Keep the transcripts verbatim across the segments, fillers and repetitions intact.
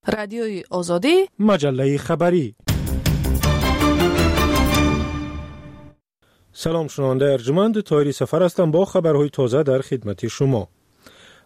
Радиои Озодӣ, маҷаллаи хабарӣ. Салом шунавандаи арҷманд, Тоҳири Сафар ҳастам бо хабарҳои тоза дар хидмати шумо.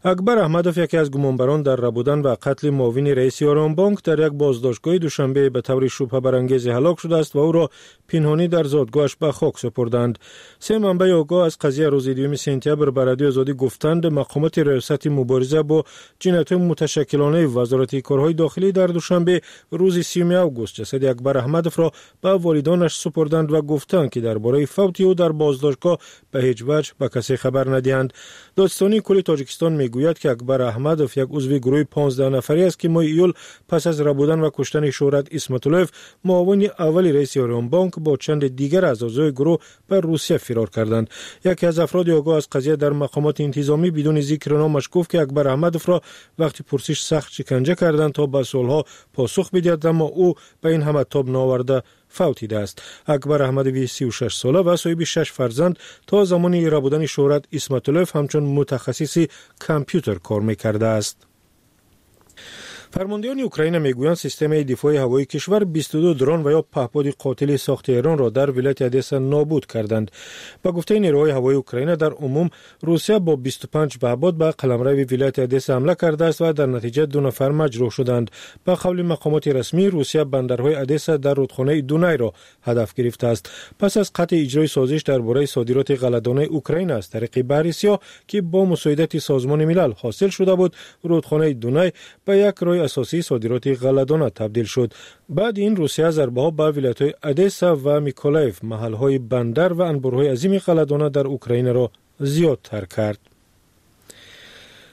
Акбар Аҳмадов, яке аз гумонбарон дар рабудан ва қатли муовини раиси Оромбонк, дар як боздоштгоҳи Душанбе ба таври шубҳабарангезе ҳалок шудааст ва ӯро пинҳонӣ дар зодгоҳаш ба хок супурданд. Се манбаи огоҳ аз қазия рӯзи дуюми сентябр ба Радиои Озодӣ гуфтанд, мақомоти раёсати мубориза бо ҷиноятҳои муташаккилонаи Вазорати корҳои дохилӣ дар Душанбе рӯзи сиюми август ҷасади Акбар Аҳмадовро ба волидонаш супурданд ва гуфтанд, ки дар бораи фавти ӯ дар боздоштгоҳ ба ҳеҷ ваҷҳ ба касе хабар надиҳанд. Додситонии кулли Тоҷикистон мегӯяд, ки Акбар Аҳмадов як узви гурӯҳи понздаҳ нафарӣ аст, ки моҳи июл пас аз рабудан ва куштани Шӯҳрат Исматуллоев, муовини аввали раиси Оромбонк, бо чанде дигар аз аъзои гурӯҳ ба Русия фирор карданд. Яке аз афроди огоҳ аз қазия дар мақомоти интизомӣ бидуни зикри номаш гуфт, ки Акбар Аҳмадовро вақти пурсиш сахт шиканҷа карданд то ба суолҳо посух бидиҳад, аммо ӯ ба ин ҳама тоб наоварда фавтидааст. Акбар Аҳмадови сию шаш сола ва соҳиби шаш фарзанд то замони рабудани Шӯҳрат Исматуллоев ҳамчун мутахассиси компютер кор мекардааст. Фармондеҳони Украина мегӯянд, системаи дифои ҳавоии кишвар бисту ду дрон ва ё паҳподи қотили сохти Эронро дар вилояти Одесса нобуд карданд. Ба гуфтаи нерӯҳои ҳавоии Украина, дар умум Русия бо бисту панҷ паҳпод ба қаламрави вилояти Одесса ҳамла кардааст ва дар натиҷа ду нафар маҷрӯҳ шуданд. Ба қавли мақомоти расмӣ, Русия бандарҳои Одесса дар рудхонаи Дунайро ҳадаф гирифтааст. Пас аз қатъи иҷрои созиш дар бораи содироти ғалладонаи Украина аз тариқи Баҳри Сиёҳ, ки бо мусоидати Созмони Милал ҳосил шуда буд, рудхонаи Дунай ба як роҳи асосии содироти ғалладона табдил шуд. Баъди ин Русия зарбаҳо ба вилоятҳои Одесса ва Миколаев, маҳалҳои бандар ва анборҳои азими ғалладона дар Украинаро зиёдтар кард.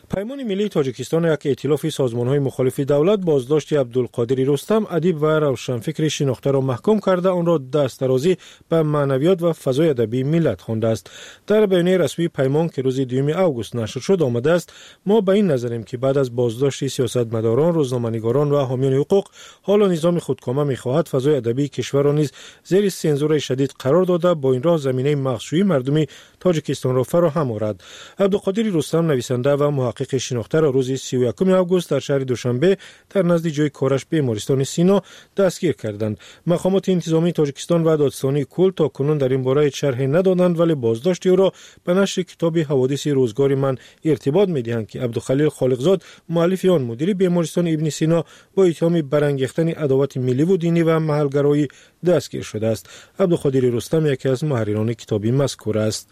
Паймони миллии Тоҷикистон, як эътилофи созмонҳои мухолифи давлат, боздошти Абдулқодири Рустам, адиб ва равшанфикри шинохтаро маҳкум карда, онро дастдарозӣ ба маънавиёт ва фазои адабии миллат хондааст. Дар баёнияи расмии Паймон, ки рӯзи дуюми август нашр шуд, омадааст: мо ба ин назарем, ки баъд аз боздошти сиёсатмадорон, рӯзноманигорон ва ҳомиёни ҳуқуқ, ҳоло низоми худкома мехоҳад фазои адабии кишварро низ зери сензураи шадид қарор дода, бо ин роҳ заминаи мағшӯии мардуми Тоҷикистонро фароҳам орад. Абдуқодири Рустам, нависанда ва муҳаққиқи шинохтаро рӯзи сию якуми август дар шаҳри Душанбе дар назди ҷои кораш бемористони Сино дастгир карданд. Мақомоти интизомии Тоҷикистон ва додситонии кул то кунун дар ин бора ҳеҷ шарҳе надоданд, вале боздошти ӯро ба нашри китоби «Ҳаводиси рӯзгори ман» иртибот медиҳанд, ки Абдухалил Холиқзод, муаллифи он, мудири бемористони Ибни Сино, бо иттиҳоми барангехтани адовати милливу динӣ ва маҳалгароӣ дастгир шудааст. Абдуқодири Рустам яке аз муҳаррирони китоби мазкур аст.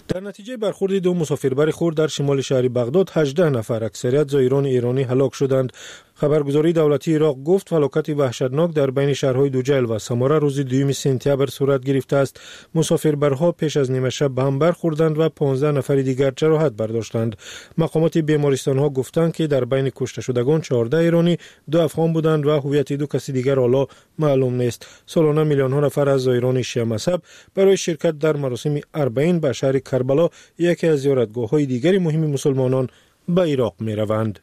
Дар натиҷаи бархӯрди ду мусофирбари хурд дар шимоли шаҳри Бағдод ҳаждаҳ нафар, аксарият зоирони эронӣ, ҳалок шуданд. Хабаргузории давлатии Ироқ гуфт, фалокати ваҳшатнок дар байни шаҳрҳои Дуҷайл ва Самора рӯзи дуюми сентябр сурат гирифтааст. Мусофирбарҳо пеш аз нимашаб ба ҳам бархӯрданд ва понздаҳ нафари дигар ҷароҳат бардоштанд. Мақомоти бемористонҳо гуфтанд, ки дар байни кушташудагон чордаҳ эронӣ, ду афғон буданд ва ҳувияти ду каси дигар ҳоло маълум нест. Солона миллионҳо нафар аз зоирони шиамазҳаб барои ширкат дар маросими арбаин ба шаҳри Карбало, яке аз зиёратгоҳҳои дигари муҳими мусулмонон, ба Ироқ мераванд.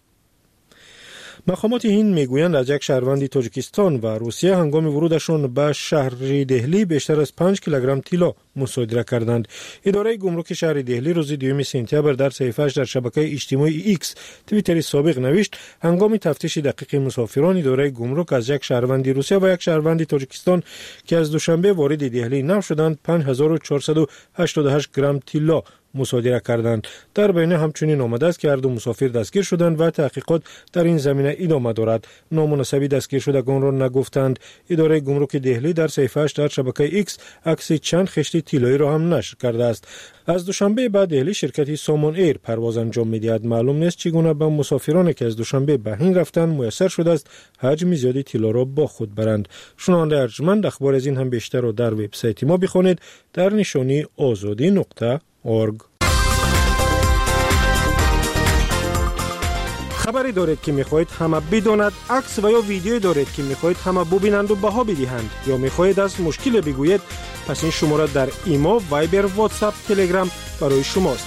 Мақомоти ҳинд мегӯянд, аз як шаҳрванди Тоҷикистон ва Русия ҳангоми вурудашон ба шаҳри Деҳлӣ бештар аз панҷ килограмм тилло мусодира карданд. Идораи гумруки шаҳри Деҳлӣ рӯзи дуюми сентябр дар саҳифааш дар шабакаи иҷтимоии Икс, Твиттери собиқ, навишт: ҳангоми тафтиши дақиқи мусофирон, идораи гумрук аз як шаҳрванди Русия ва як шаҳрванди Тоҷикистон, ки аз Душанбе вориди Деҳлӣ нав шуданд, панҷ ҳазору чорсаду ҳаштоду ҳашт грамм тилло мусодира карданд. Дар баёния ҳамчунин омадааст, ки ҳар ду мусофир дастгир шуданд ва таҳқиқот дар ин замина идома дорад. Ному насаби дастгиршудагонро нагуфтанд. Идораи гумруки Деҳлӣ дар саҳифааш дар шабакаи Икс акси чанд хишти тиллоиро ҳам нашр кардааст. Аз Душанбе ба Деҳлӣ ширкати Сомон Эйр парвоз анҷом медиҳад. Маълум нест, чӣ гуна ба мусофироне, ки аз Душанбе ба ҳинд рафтанд, муяссар шудааст ҳаҷми зиёди тиллоро бо худ баранд. Шунавандаи арҷманд, ахбори аз ин ҳам бештарро дар вебсайти мо бихонед дар нишонии озодӣ нуқта орг. Хабаре доред, ки мехоҳед ҳама бидонад, акс ва ё видеое доред, ки мехоҳед ҳама бубинанду баҳо бидиҳанд, ё мехоҳед аз мушкиле бигӯед, пас ин шумора дар Имо, Вайбер, Ватсап, Телеграм барои шумост.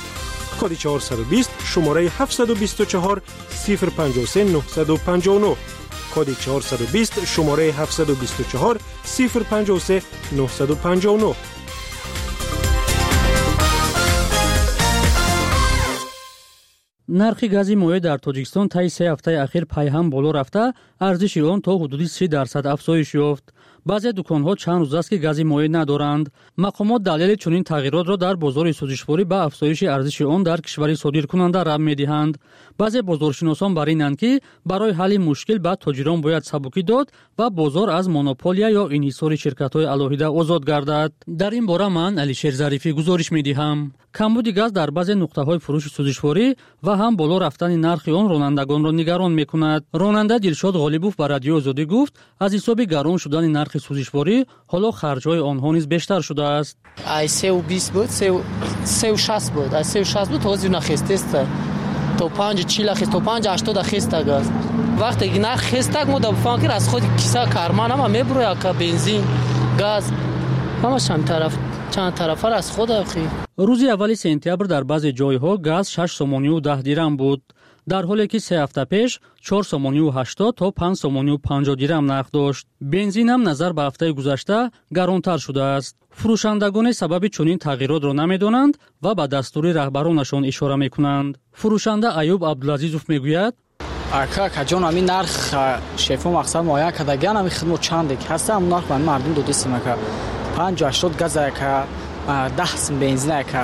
Коди чорсаду бист, шумораи ҳафтсаду бисту чаҳор, сифр панҷоҳу се, нуҳсаду панҷоҳу нуҳ. Коди чорсаду бист, шумораи ҳафтсаду бисту чаҳор, сифр панҷоҳу се, нуҳсаду панҷоҳу нуҳ. Нархи гази моеъ дар Тоҷикистон таи се ҳафтаи ахир пайҳам боло рафта, арзиши он то ҳудуди си дарсад афзоиш ёфт. Баъзе дуконҳо чанд рӯз аст, ки гази моеъ надоранд. Мақомот далели чунин тағйиротро дар бозори сӯзишворӣ ба афзоиши арзиши он дар кишвари содиркунанда рабт медиҳанд. Баъзе бозоршиносон бар инанд, ки барои ҳалли мушкил ба тоҷирон бояд сабукӣ дод ва бозор аз монополия ё инҳисори ширкатҳои алоҳида озод гардад. Дар ин бора ман Алишер Зарифӣ гузориш медиҳам. Камбуди газ дар баъзе нуқтаҳои фурӯши сӯзишворӣ ва ҳам боло рафтани нархи он ронандагонро нигарон мекунад. Ронанда Дилшод Ғолибов ба Радиои Озодӣ гуфт, аз ҳисоби гарон шудани нархи сӯзишворӣ ҳоло харҷҳои онҳо низ бештар шудааст. Ай сеу бист буд, сеу шаст буд, ай сеу шаст буд, ҳозир нахестеста. То панҷ чил хест, то панҷ ҳаштод хеста газ. Вақте ки нарх хестак, мо да бифаҳмем, ки аз худи киса карман ҳама мебурояд, ка бензин, газ, ҳамаш ҳам тараф чанд тарафа аз худ охи. Рӯзи аввали сентябр дар баъзе ҷойҳо газ шаш сомонию даҳ дирам буд, дар ҳоле ки се ҳафта пеш чор сомонию ҳаштод то панҷ сомонию панҷоҳ дирам нарх дошт. Бензин ҳам назар ба ҳафтаи гузашта гаронтар шудааст. Фурӯшандагоне сабаби чунин тағйиротро намедонанд ва ба дастури раҳбаронашон ишора мекунанд. Фурӯшанда Аюб Абдулазизов мегӯяд: Ака, акаҷон, ҳамин нарх шефо мақсад муайян кардагиан, ҳамин хидмат чанде ки ҳаста, ҳамин нарх ба мардум додистем, ака. Панҷ ҳаштод газ, ака, даҳ сум бензин, ака,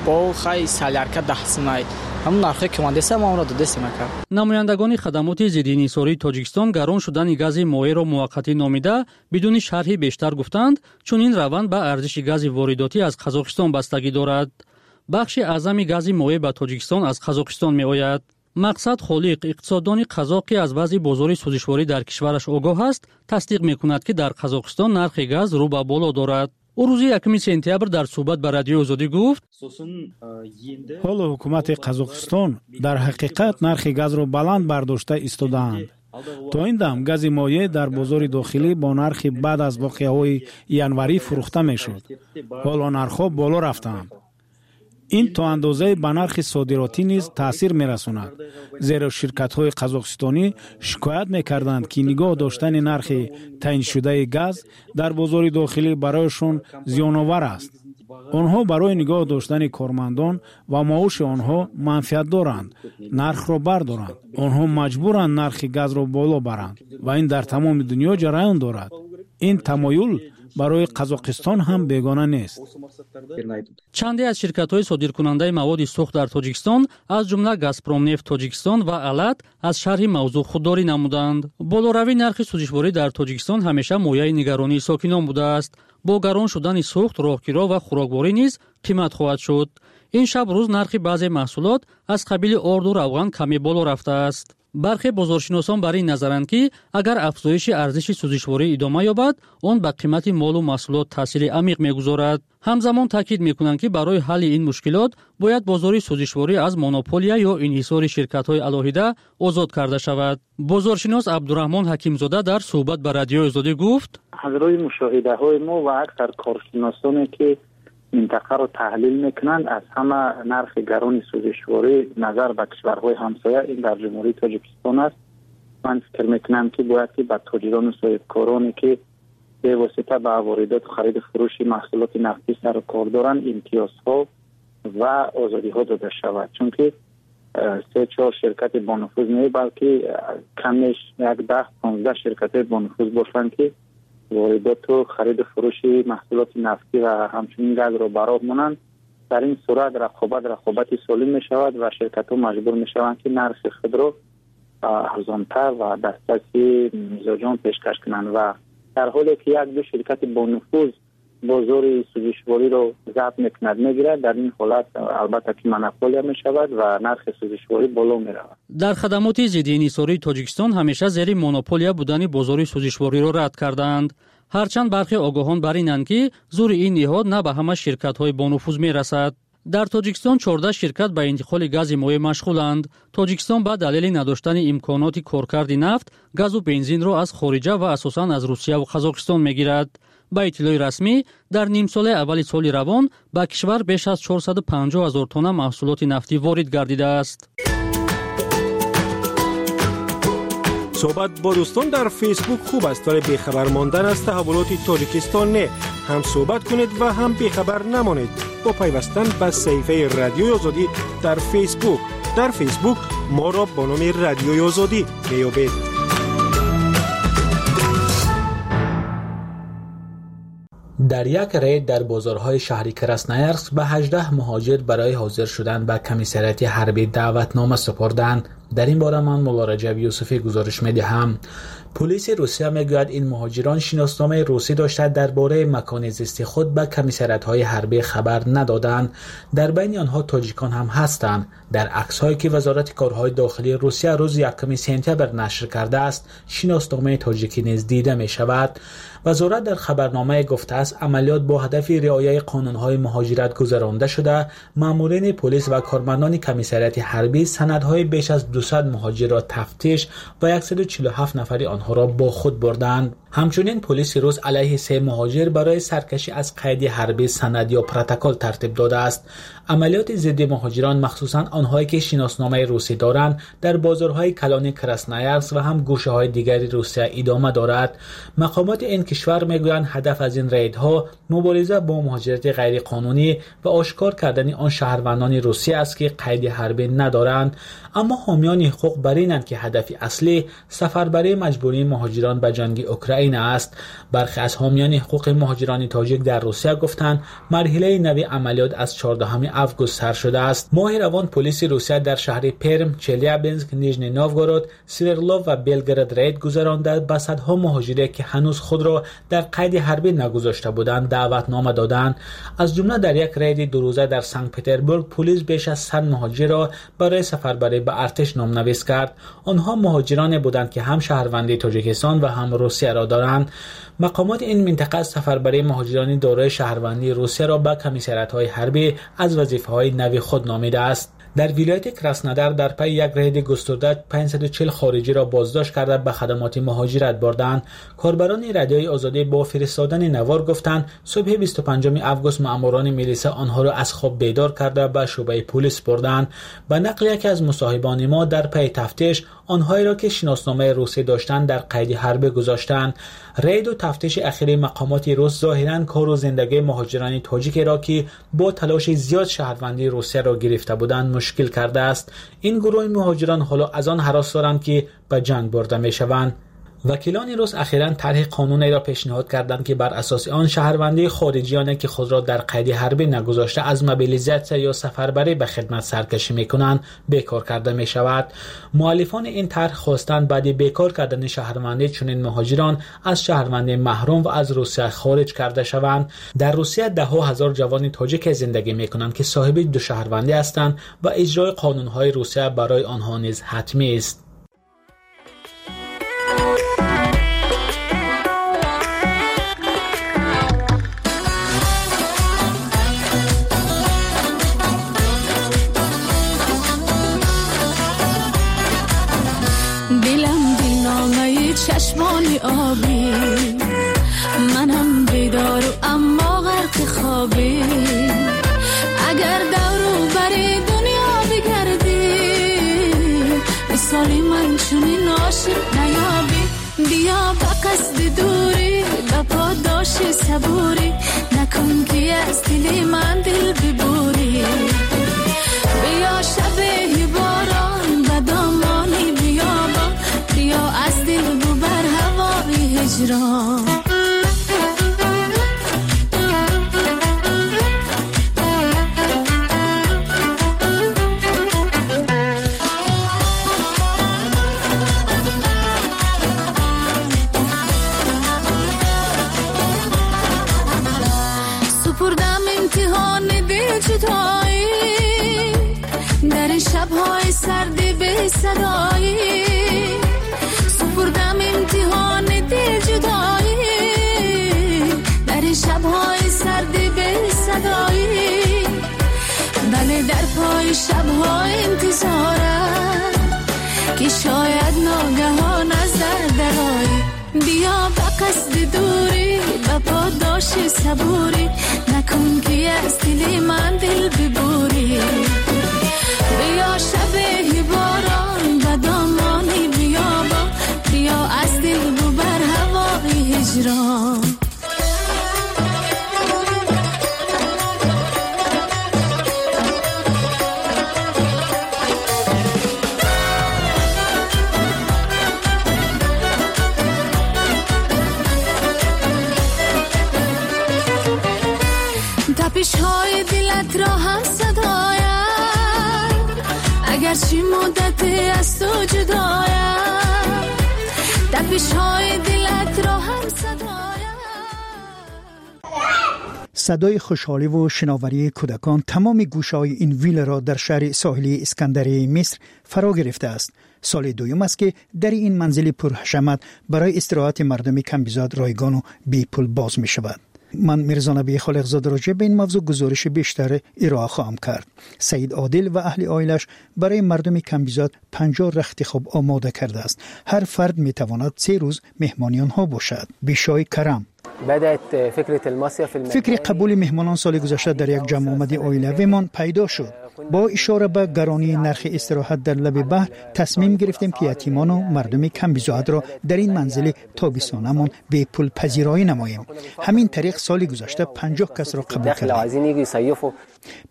бо хай солярка даҳ сум, ай. Ҳамон нархе ки омадеста, мо онро додистем, ака. Намояндагони хадамоти зидди инҳисории Тоҷикистон гарон шудани гази моеъро муваққатӣ номида, бидуни шарҳи бештар гуфтанд, чунин раванд ба арзиши гази воридотӣ аз Қазоқистон бастагӣ дорад. Бахши аъзами гази моеъ ба Тоҷикистон аз Қазоқистон меояд. Мақсад Холиқ, иқтисоддони қазоқ, ки аз вазъи бозори сӯзишворӣ дар кишвараш огоҳ аст, тасдиқ мекунад, ки дар Қазоқистон нархи газ рӯ ба боло дорад. Ӯ рӯзи якуми сентябр дар суҳбат ба Радиои Озодӣ гуфт: ҳоло ҳукумати Қазоқистон дар ҳақиқат нархи газро баланд бардошта истодаанд. То ин дам гази моеъ дар бозори дохилӣ бо нархи баъд аз воқеаҳои январӣ фурӯхта мешуд. Ҳоло нархҳо боло рафтаанд. Ин то андозае ба нархи содиротӣ низ таъсир мерасонад, зеро ширкатҳои қазоқистонӣ шикоят мекарданд, ки нигоҳ доштани нархи таъиншудаи газ дар бозори дохилӣ барояшон зиёновар аст. Онҳо барои нигоҳ доштани кормандон ва маоши онҳо манфиат доранд, нархро бардоранд. Онҳо маҷбуранд нархи газро боло баранд ва ин дар тамоми дунё ҷараён дорад. Ин тамоюл барои Қазоқистон ҳам бегона нест. Чанде аз ширкатҳои содиркунандаи маводи сӯхт дар Тоҷикистон, аз ҷумла Газпромнефт Тоҷикистон ва Алат, аз шарҳи мавзӯъ худдорӣ намуданд. Болоравии нархи сӯзишворӣ дар Тоҷикистон ҳамеша мояи нигаронии сокинон будааст. Бо гарон шудани сӯхт, роҳкиро ва хӯрокворӣ низ қимат хоҳад шуд. Ин шаб рӯз нархи баъзе маҳсулот аз қабили орду равған каме боло рафтааст. Бархе бозоршиносон бар ин назаранд, ки агар афзоиши арзиши сӯзишворӣ идома ёбад, он ба қимати молу маҳсулот таъсири амиқ мегузорад. Ҳамзамон таъкид мекунанд, ки барои ҳалли ин мушкилот бояд бозори сӯзишворӣ аз монополия ё инҳисори ширкатҳои алоҳида озод карда шавад. Бозоршинос Абдураҳмон Ҳакимзода дар суҳбат ба Радиои Озодӣ гуфт: аз рӯи мушоҳидаҳои мо ва аксар коршиносоне ки минтақаро таҳлил мекунанд, аз ҳама нархи гарони сӯзишворӣ назар ба кишварҳои ҳамсоя ин дар Ҷумҳурии Тоҷикистон аст. Ман фикр мекунам, ки бояд ки ба тоҷирону соҳибкороне ки бевосита ба воридоту хариду фурӯши маҳсулоти нафтӣ сару кор доранд, имтиёзҳо ва озодиҳо дода шавад, чунки се чор ширкати бонуфуз не, балки камеш як даҳ понздаҳ ширкатҳои бонуфуз бошанд, ки воридоту хариду фурӯши маҳсулоти нафтӣ ва ҳамчунин газро ба роҳ монанд. Дар ин сурат рақобат рақобати солим мешавад ва ширкатҳо маҷбур мешаванд, ки нархи худро арзонтар ва дастраси мизоҷон пешкаш кунанд. Ва дар ҳоле ки як ду ширкати бонуфуз бозори сӯзишвориро забт мекунад, мегирад, дар ин ҳолат албатта ки монополия мешавад ва нархи сӯзишворӣ боло меравад. Дар хадамоти зидди инҳисории Тоҷикистон ҳамеша зери монополия будани бозори сӯзишвориро рад кардаанд. Ҳарчанд бархе огоҳон бар инанд, ки зури ин ниҳод на ба ҳама ширкатҳои бонуфуз мерасад. Дар Тоҷикистон чордаҳ ширкат ба интиқоли гази моеъ машғуланд. Тоҷикистон ба далели надоштани имконоти коркарди нафт, газу бензинро аз хориҷа ва асосан аз Русия ва Қазоқистон мегирад. Ба иттилои расмӣ, дар нимсолаи аввали соли равон ба кишвар беш аз чорсаду панҷоҳ ҳазор тонна маҳсулоти нафтӣ ворид гардидааст. Суҳбат бо дӯстон дар Фейсбук хуб аст, вале бехабар мондан аз таҳаввулоти Тоҷикистон не. Ҳам суҳбат кунед ва ҳам бехабар намонед бо пайвастан ба саҳифаи Радиои Озодӣ дар Фейсбук. Дар Фейсбук моро бо номи Радиои Озодӣ меёбед. Дар як рейд дар бозорҳои шаҳри Красноярск ба ҳаждаҳ муҳоҷир барои ҳозир шудан ба комиссариати ҳарбӣ даъватнома супурданд. Дар ин бора ман Мулло Раҷаб Юсуфӣ гузориш медиҳам. Полиси Русия мегӯяд ин муҳоҷирон шиносномаи русӣ дошта дар бораи макони зисти худ ба комиссариатҳои ҳарбӣ хабар надоданд. Дар байни онҳо тоҷикон ҳам ҳастанд. Дар аксҳое ки Вазорати корҳои дохилии Русия рӯзи якуми сентябр нашр кардааст, шиносномаи тоҷикӣ низ дида мешавад. Вазорат дар хабарномае гуфтааст амалиёт бо ҳадафи риояи қонунҳои муҳоҷират гузаронда шуда, маъмурини полис ва кормандони комиссариати ҳарбӣ санадҳои беш аз дусад муҳоҷирро тафтиш ва яксаду чилу ҳафт нафари онҳоро бо худ бурданд. Ҳамчунин полиси рус алайҳи се муҳоҷир барои саркашӣ аз қайди ҳарбӣ санад ё протокол тартиб додааст. Амалиёти зидди муҳоҷирон, махсусан онҳое ки шиносномаи русӣ доранд, дар бозорҳои калони Красноярск ва ҳам гӯшаҳои дигари Русия идома дорад. Мақомоти ин кишвар мегӯянд ҳадаф аз ин рейдҳо мубориза бо муҳоҷирати ғайриқонунӣ ва ошкор кардани он шаҳрвандони Русия аст ки қайди ҳарбӣ надоранд. Аммо ҳомиёни ҳуқуқ бар инанд ки ҳадафи аслӣ сафарбарии маҷбурии муҳоҷирон ба ҷанги Украина аст. Бархе аз ҳомиёни ҳуқуқи муҳоҷирони тоҷик дар Русия гуфтанд марҳилаи нави амалиёт аз чордаҳуми август сар шудааст. Моҳи равон полиси Русия дар шаҳри Перм, Челябинск, Нижний Новгород, Свердлов ва Белгород рейд гузаронда ба садҳо муҳоҷире ки ҳанӯз худро дар қайди ҳарбӣ нагузошта буданд даъватнома доданд. Аз ҷумла дар як рейди дурӯза дар Санкт-Петербург полис беш аз сад муҳоҷирро барои сафарбарӣ ба артиш номнавис кард. Онҳо муҳоҷироне буданд ки ҳам шаҳрвандии Тоҷикистон ва ҳам Русияро доранд. Мақомоти ин минтақа сафарбарии муҳоҷирони дорои шаҳрвандии Русияро ба комиссариатҳои ҳарбӣ аз вазифаҳои нави худ номидааст. Дар вилояти Краснодар дар пайи як рейди густурда панҷсаду чил хориҷиро боздошт карда ба хадамоти муҳоҷират бурданд. Корбарони Радиои Озодӣ бо фиристодани навор гуфтанд субҳи бисту панҷуми август маъмурони милиса онҳоро аз хоб бедор карда ба шӯъбаи полис бурданд. Ба нақли яке аз мусоҳибони мо дар пайи тафтиш онҳоеро ки шиносномаи русӣ доштанд дар қайди ҳарбӣ гузоштанд. Рейду тафтиши ахири мақомоти рус зоҳиран кору зиндагии муҳоҷирони тоҷикеро ки бо талоши зиёд шаҳрвандии Русияро гирифта буданд мушкил кардааст. Ин гурӯҳи муҳоҷирон ҳоло аз он ҳарос доранд ки ба ҷанг бурда мешаванд. Вакилони рус ахиран тарҳи қонунеро пешниҳод карданд ки бар асоси он шаҳрвандии хориҷиёне ки худро дар қайди ҳарбӣ нагузошта аз мобилизатсия ё сафарбарӣ ба хидмат саркашӣ мекунанд бекор карда мешавад. Муаллифони ин тарҳ хостанд баъди бекор кардани шаҳрвандӣ чунин муҳоҷирон аз шаҳрвандӣ маҳрум ва аз Русия хориҷ карда шаванд. Дар Русия даҳҳо ҳазор ҷавони тоҷик зиндагӣ мекунанд ки соҳиби ду шаҳрвандӣ ҳастанд ва иҷрои қонунҳои Русия барои онҳо низ ҳатмӣ аст. چشمانی آبی منم بیدار و اما غرق خوابی اگر دور و بر دنیا بگردی مثال من چنین عاشق نیابی بیا به قصد دوری به پاداش صبوری نکن که از دل من دل ببوری بیا شب باران به دامانی بیابان بیا از دل ببر هوای هجران. سپردم امتحان دل جدایی در این شب‌های سرد بی صدایی سپردم امتحان دل جدایی در این شب‌های سرد بی صدایی بله در پای شب‌های انتظارم که شاید ناگهان از در درایی بیا به قصد دوری به پاداش صبوری نکن که از دل من دل ببوری بیا شب باران به دامانی بیابان بیا از دل ببر هوای هجران. تپش‌های دلت را هم صدایم، اگرچه مدتی از تو جدایم، تپش‌های دلت را هم صدایم. صدای خوشحالی و شناوری کودکان تمام گوشه‌های این ویلا را در شهر ساحلی اسکندریه مصر فرا گرفته است. سال دوم است که در این منزل پرحشمت برای استراحت مردم کم‌بیزاد رایگان و بی پول باز می شود. من میرزا نبی خالقزاده راجع به این موضوع گزارش بیشتر ارائه خواهم کرد. سعید عادل و اهل عائلش برای مردم کم‌بیزاد پنجاه رخت خواب آماده کرده است. هر فرد می تواند سه روز مهمانی آنها باشد. بیشای کرم. فکر قبول مهمانان سال گذشته در یک جمع آمد عائلویمان پیدا شد. با اشاره به گرانی نرخ استراحت در لب بحر تصمیم گرفتیم که یتیمان و مردم کم بضاعت را در این منزل تابستانمان به پول پذیرایی نماییم. همین طریق سال گذشته پنجاه کس را قبول کردیم.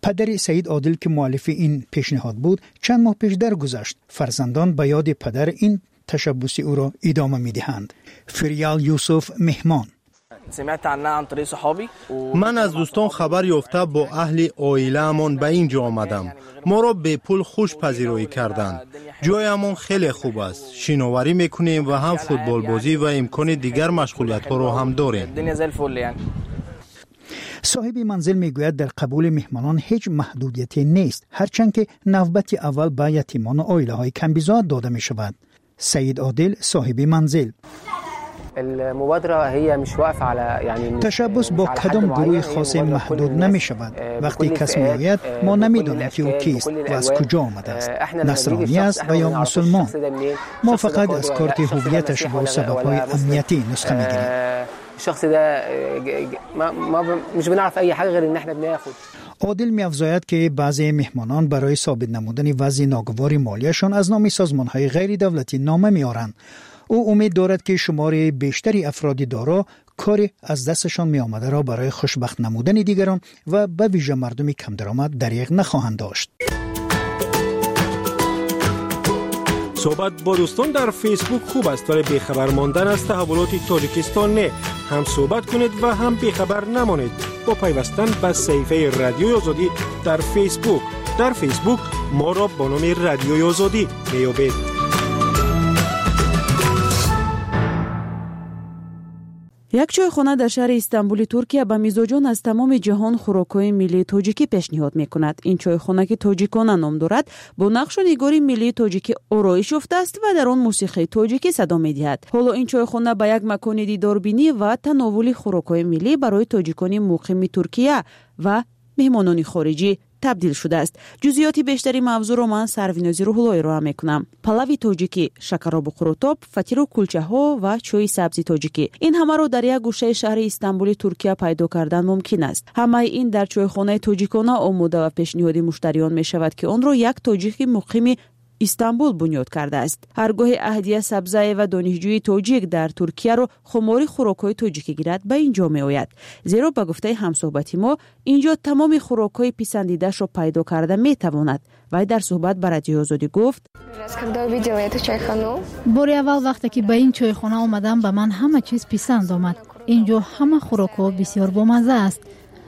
پدر سعید عادل که مؤلف این پیشنهاد بود چند ماه پیش درگذشت. فرزندان به یاد پدر این تشبث او را ادامه می‌دهند. فریال یوسف مهمان. من از دوستان خبر یافته با اهل عائله‌مان به اینجا آمدم. ما را به پول خوش پذیرایی کردند. جایمان خیلی خوب است. شناوری میکنیم و هم فوتبال بازی و امکان دیگر مشغولیت ها را هم داریم. صاحب منزل میگوید در قبول مهمانان هیچ محدودیتی نیست، هرچند که نوبت اول به یتیمان و عائله های کم بضاعت داده می شود. سعید عادل صاحب منزل. تشبث با کدام گروه خاص محدود نمی شود. وقتی کس می آید ما نمی دانیم که او کیست و از کجا آمده است، نصرانی است و یا مسلمان. ما فقط از کارت هویتش با سبب‌های امنیتی نسخه می گیریم. عادل می افزاید که بعضی مهمانان برای ثابت نمودن وضع ناگوار مالیشان از نام سازمان‌های غیر دولتی نامه می آورند. او امید دارد که شمار بیشتری افراد دارا کاری از دستشان می آمده را برای خوشبخت نمودن دیگران و به ویژه مردم کم درآمد دریغ نخواهند داشت. صحبت با دوستان در فیسبوک خوب است، ولی بیخبر ماندن از تحولات تاجیکستان نه. هم صحبت کنید و هم بیخبر نمانید با پیوستن به صفحه رادیوی آزادی در فیسبوک. در فیسبوک ما را با نام رادیوی آزادی می‌یابید. Як чойхона дар шаҳри Истанбули Туркия ба мизоҷон аз тамоми ҷаҳон хӯрокҳои миллии тоҷикӣ пешниҳод мекунад. Ин чойхона ки тоҷикона ном дорад, бо нақшу нигори миллии тоҷикӣ ороиш ёфтааст ва дар он мусиқии тоҷикӣ садо медиҳад. Ҳоло ин чойхона ба як макони дидорбинӣ ва тановули хӯрокҳои миллӣ барои тоҷикони муқими Туркия ва меҳмонони хориҷӣ табдил шудааст. Ҷузъиёти бештари мавзӯъро ман Сарвинози Рӯҳулло ироа мекунам. Палави тоҷикӣ, шакаробу қурутоб, фатиру кулчаҳо ва чойи сабзи тоҷикӣ. Ин ҳамаро дар як гӯшаи шаҳри Истанбули Туркия пайдо кардан мумкин аст. Ҳамаи ин дар чойхонаи тоҷикона омода ва пешниҳоди муштариён мешавад, ки онро як тоҷики муқими Истанбул бунёд кардааст. Ҳаргоҳи Аҳдия Сабзаева, донишҷӯи тоҷик дар Туркияро хумори хӯрокҳои тоҷикӣ гирад, ба ин ҷо меояд. Зеро ба гуфтаи ҳамсӯҳбати мо, ин ҷо тамоми хӯрокҳои писандидаашро пайдо карда метавонад. Вай дар суҳбат ба Радиои Озодӣ гуфт: бори аввал вақте ки ба ин чойхона омадам, ба ман ҳама чиз писанд омад. Ин ҷо ҳама хӯрокҳо бисёр бомазза аст.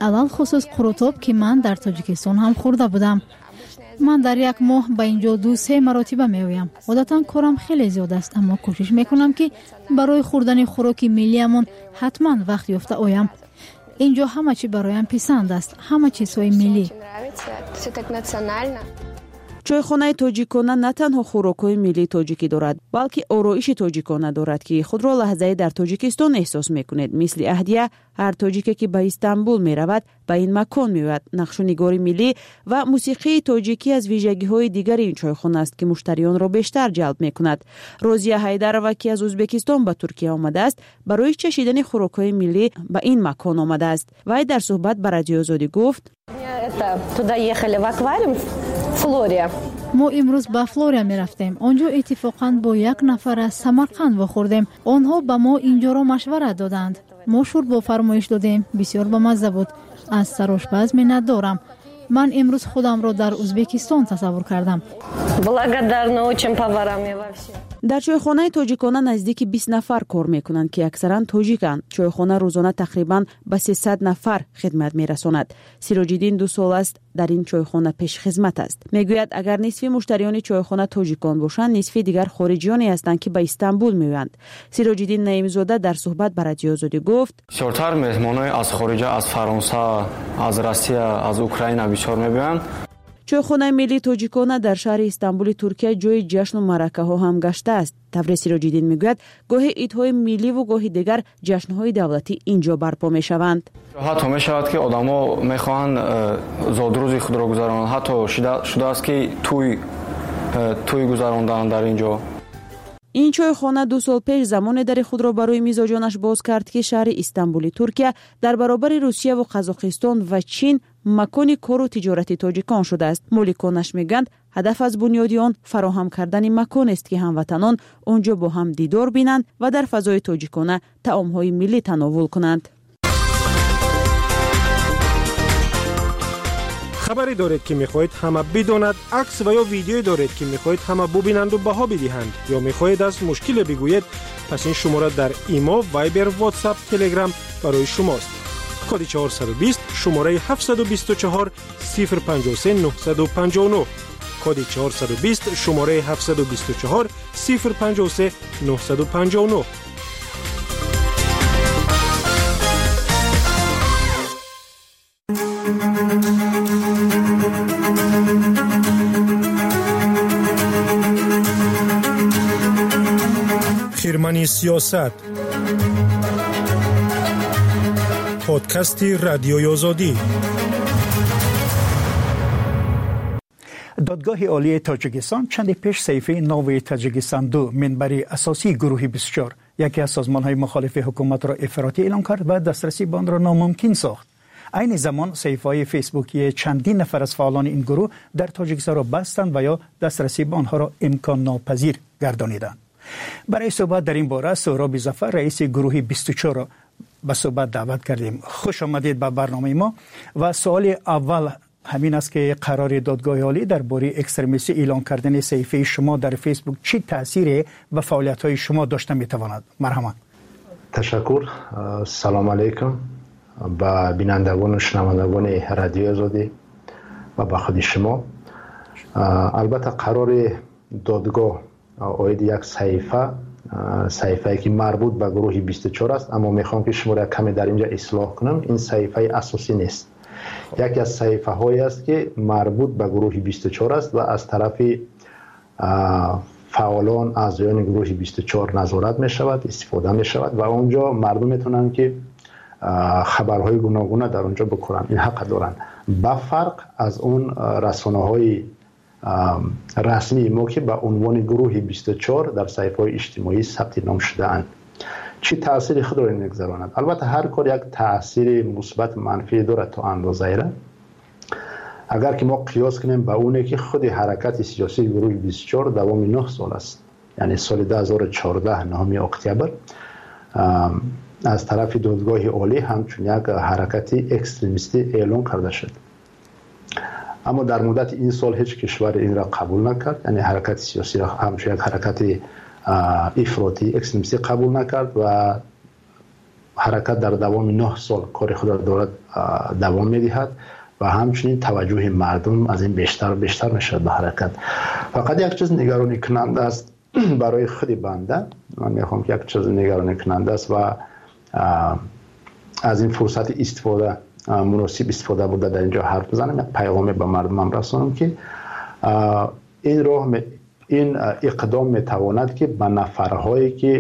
Алалхусус қурутоб, ки ман дар Тоҷикистон ҳам хӯрда будам. Ман дар як моҳ ба инҷо ду се маротиба меоям. Одатан корам хеле зиёд аст, аммо кӯшиш мекунам, ки барои хӯрдани хӯроки миллиамон ҳатман вақт ёфта оям. Инҷо ҳама чӣ бароям писанд аст, ҳама чизҳои миллӣ. Чойхонаи тоҷикона на танҳо хӯрокҳои миллии тоҷикӣ дорад, балки ороиши тоҷикона дорад, ки худро лаҳзае дар Тоҷикистон эҳсос мекунед. Мисли Аҳдия, ҳар тоҷике ки ба Истанбул меравад, ба ин макон меояд. Нақшу нигори миллӣ ва мусиқии тоҷикӣ аз вижагиҳои дигари ин чойхона аст, ки муштариёнро бештар ҷалб мекунад. Розия Ҳайдарова, ки аз Ӯзбекистон ба Туркия омадааст, барои чашидани хӯрокҳои миллӣ ба ин макон омадааст. Вай дар суҳбат ба Радиои Озодӣ гуфт: Туда ехали в аквариум Флория. Мо имрӯз ба Флория мерафтем. Он ҷо иттифоқан бо як нафар аз Самарқанд вохӯрдем. Онҳо ба мо инҷоро машварат доданд. Мо шӯрбо фармоиш додем. Бисёр бамазза буд. Аз сарошпаз миннатдорам. Ман имрӯз худамро дар Ӯзбекистон тасаввур кардам. Благодарна очень поварам я вообще. Дар чойхонаи тоҷикона наздики бист нафар кор мекунанд, ки аксаран тоҷиканд. Чойхона рӯзона тақрибан ба сесад нафар хидмат мерасонад. Сироҷиддин ду сол аст дар ин чойхона пешхизмат аст. Мегӯяд, агар нисфи муштариёни чойхона тоҷикон бошанд, нисфи дигар хориҷиёне ҳастанд, ки ба Истанбул меоянд. Сироҷиддин Наимзода дар суҳбат ба Радиои Озодӣ гуфт: бисёртар меҳмонои аз хориҷа, аз Фаронса, аз Россия, аз Украина бисёр мебиёянд. Чойхонаи миллии тоҷикона дар шаҳри Истанбули Туркия ҷои ҷашну маъракаҳо ҳам гаштааст. Тавре Сироҷиддин мегӯяд, гоҳе идҳои милливу гоҳи дигар ҷашнҳои давлатӣ инҷо барпо мешаванд. Ҳатто мешавад, ки одамо мехоҳанд зодрӯзи худро гузаронанд. Ҳатто шудааст, ки тӯй тӯй гузаронданд дар ин ҷо. Ин чойхона ду сол пеш замоне дари худро барои мизоҷонаш боз кард, ки шаҳри Истанбули Туркия дар баробари Русияву Қазоқистон ва Чин макони кору тиҷорати тоҷикон шудааст. Моликонаш мегӯянд, ҳадаф аз бунёди он фароҳам кардани маконест, ки ҳамватанон он ҷо бо ҳам дидор бинанд ва дар фазои тоҷикона таомҳои миллӣ тановул кунанд. Хабаре доред, ки мехоҳед ҳама бидонад, акс ва ё видеое доред, ки мехоҳед ҳама бубинанду баҳо бидиҳанд, ё мехоҳед аз мушкиле бигӯед, пас ин шумора дар Имо, Вайбер, Ватсап, Телеграм барои шумост. Коди чорсаду бист, шумораи ҳафтсаду бисту чор, сифр панҷоҳу се, нуҳсаду панҷоҳу нуҳ. Коди чорсаду бист, шумораи ҳафтсаду бисту чор, сифр панҷоҳу се, нуҳсаду панҷоҳу нуҳ. Хирмани сиёсат, подкасти Радиои Озодӣ. Додгоҳи олии Тоҷикистон чанде пеш саҳифаи нави Тоҷикистон ду, минбари асосии гурӯҳи бисту чор, яке аз созмонҳои мухолифи ҳукуматро ифротӣ эълон кард ва дастрасӣ ба онро номумкин сохт. Айни замон саҳифаҳои фейсбукии чандин нафар аз фаъолони ин гурӯҳ дар Тоҷикистонро бастанд ва ё дастрасӣ ба онҳоро имконнопазир гардониданд. Барои суҳбат дар ин бора Суҳроби Зафар, раиси гурӯҳи бисту чор, ба суҳбат даъват кардем. Хуш омадед ба барномаи мо. Ва суоли аввал ҳамин аст, ки қарори додгоҳи олӣ дар бораи экстремистӣ эълон кардани саҳифаи шумо дар фейсбук чӣ таъсире ба фаъолиятҳои шумо дошта метавонад? Марҳамат. Ташаккур. Салом алайкум ба бинандагону шунавандагони Радиои Озодӣ ва ба худи шумо. Албатта, қарори додгоҳ оиди як саҳифа, саҳифае ки марбут ба гурӯҳи бисту чор аст, аммо мехоҳам, ки шуморо як каме дар инҷа ислоҳ кунам. Ин саҳифаи асосӣ нест, яке аз саҳифаҳое аст, ки марбут ба гурӯҳи бисту чор аст ва аз тарафи фаъолон, аъзоёни гурӯҳи бисту чор назорат мешавад, истифода мешавад ва онҷо мардум метавонанд, ки хабарҳои гуногуна дар онҷо бикунанд. Ин ҳаққа доранд, ба фарқ аз он расонаҳои расмии мо, ки ба унвони гурӯҳи бисту чор дар саҳифаҳои иҷтимоӣ сабти ном шудаанд. Чӣ таъсири худро мегузаронад? Албатта, ҳар кор як таъсири мусбат манфӣ дорад то андозаеро. Агар ки мо қиёс кунем ба оне, ки худи ҳаракати сиёсии гурӯҳи бисту чор давоми нӯҳ сол аст, яъне соли ду ҳазору чордаҳ, нӯҳуми октябр, аз тарафи додгоҳи олӣ ҳамчун як ҳаракати экстремистӣ эълон карда шуд. Аммо дар муддати ин сол ҳеҷ кишваре инро қабул накард, яъне ҳаракати сиёсиро ҳамчун як ҳаракати ифротӣ, экстремистӣ қабул накард ва ҳаракат дар давоми нӯҳ сол кори худро дорад, давом медиҳад ва ҳамчунин таваҷҷӯҳи мардум аз ин бештар бештар мешавад ба ҳаракат. Фақат як чиз нигаронӣкунанда аст барои худи банда. Ман мехоҳам, ки як чиз нигаронӣкунанда аст ва аз ин фурсати истифода, муносиб истифода бурда, дар инҷо ҳарф бизанам, як паёме ба мардумам расонам, ки ин роҳ, ин иқдом метавонад, ки ба нафарҳое, ки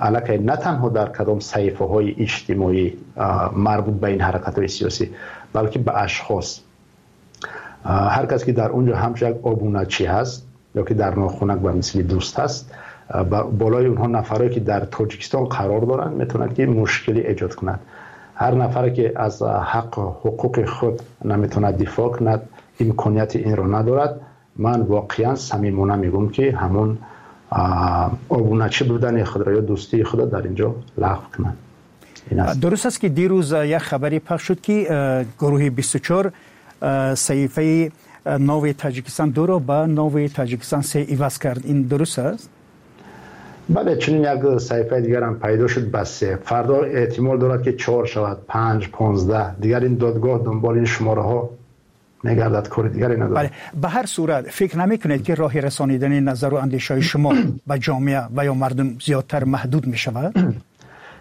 аллакай на танҳо дар кадом саҳифаҳои иҷтимоӣ марбут ба ин ҳаракатҳои сиёсӣ, балки ба ашхос, ҳар кас ки дар он ҷо ҳамчун як обуначӣ ҳаст ё ки дар нохунак ба мисли дӯст ҳаст, болои онҳо нафарое ки дар Тоҷикистон қарор доранд, метавонад, ки мушкилӣ эҷод кунад. Ҳар нафаре ки аз ҳақ ҳуқуқи худ наметавонад дифоъ кунад, имконияти инро надорад, ман воқеан самимона мегӯям, ки ҳамон обуначӣ будани худро ё дӯстии худро дар инҷо лағв кунад. Дуруст аст, ки дирӯз як хабаре пахш шуд, ки гурӯҳи бисту чор саҳифаи нави Тоҷикистон дуро ба нави Тоҷикистон се иваз кард. Ин дуруст аст? Бале, чунин як саҳифаи дигар ҳам пайдо шуд, ба се. Фардо эҳтимол дорад, ки чор шавад, панҷ, понздаҳ. Дигар ин додгоҳ дунболи ин шумораҳо мегардад, кори дигаре надорад. Бале, ба ҳар сурат фикр намекунед, ки роҳи расонидани назару андешаҳои шумо ба ҷомеа ва ё мардум зиёдтар маҳдуд мешавад?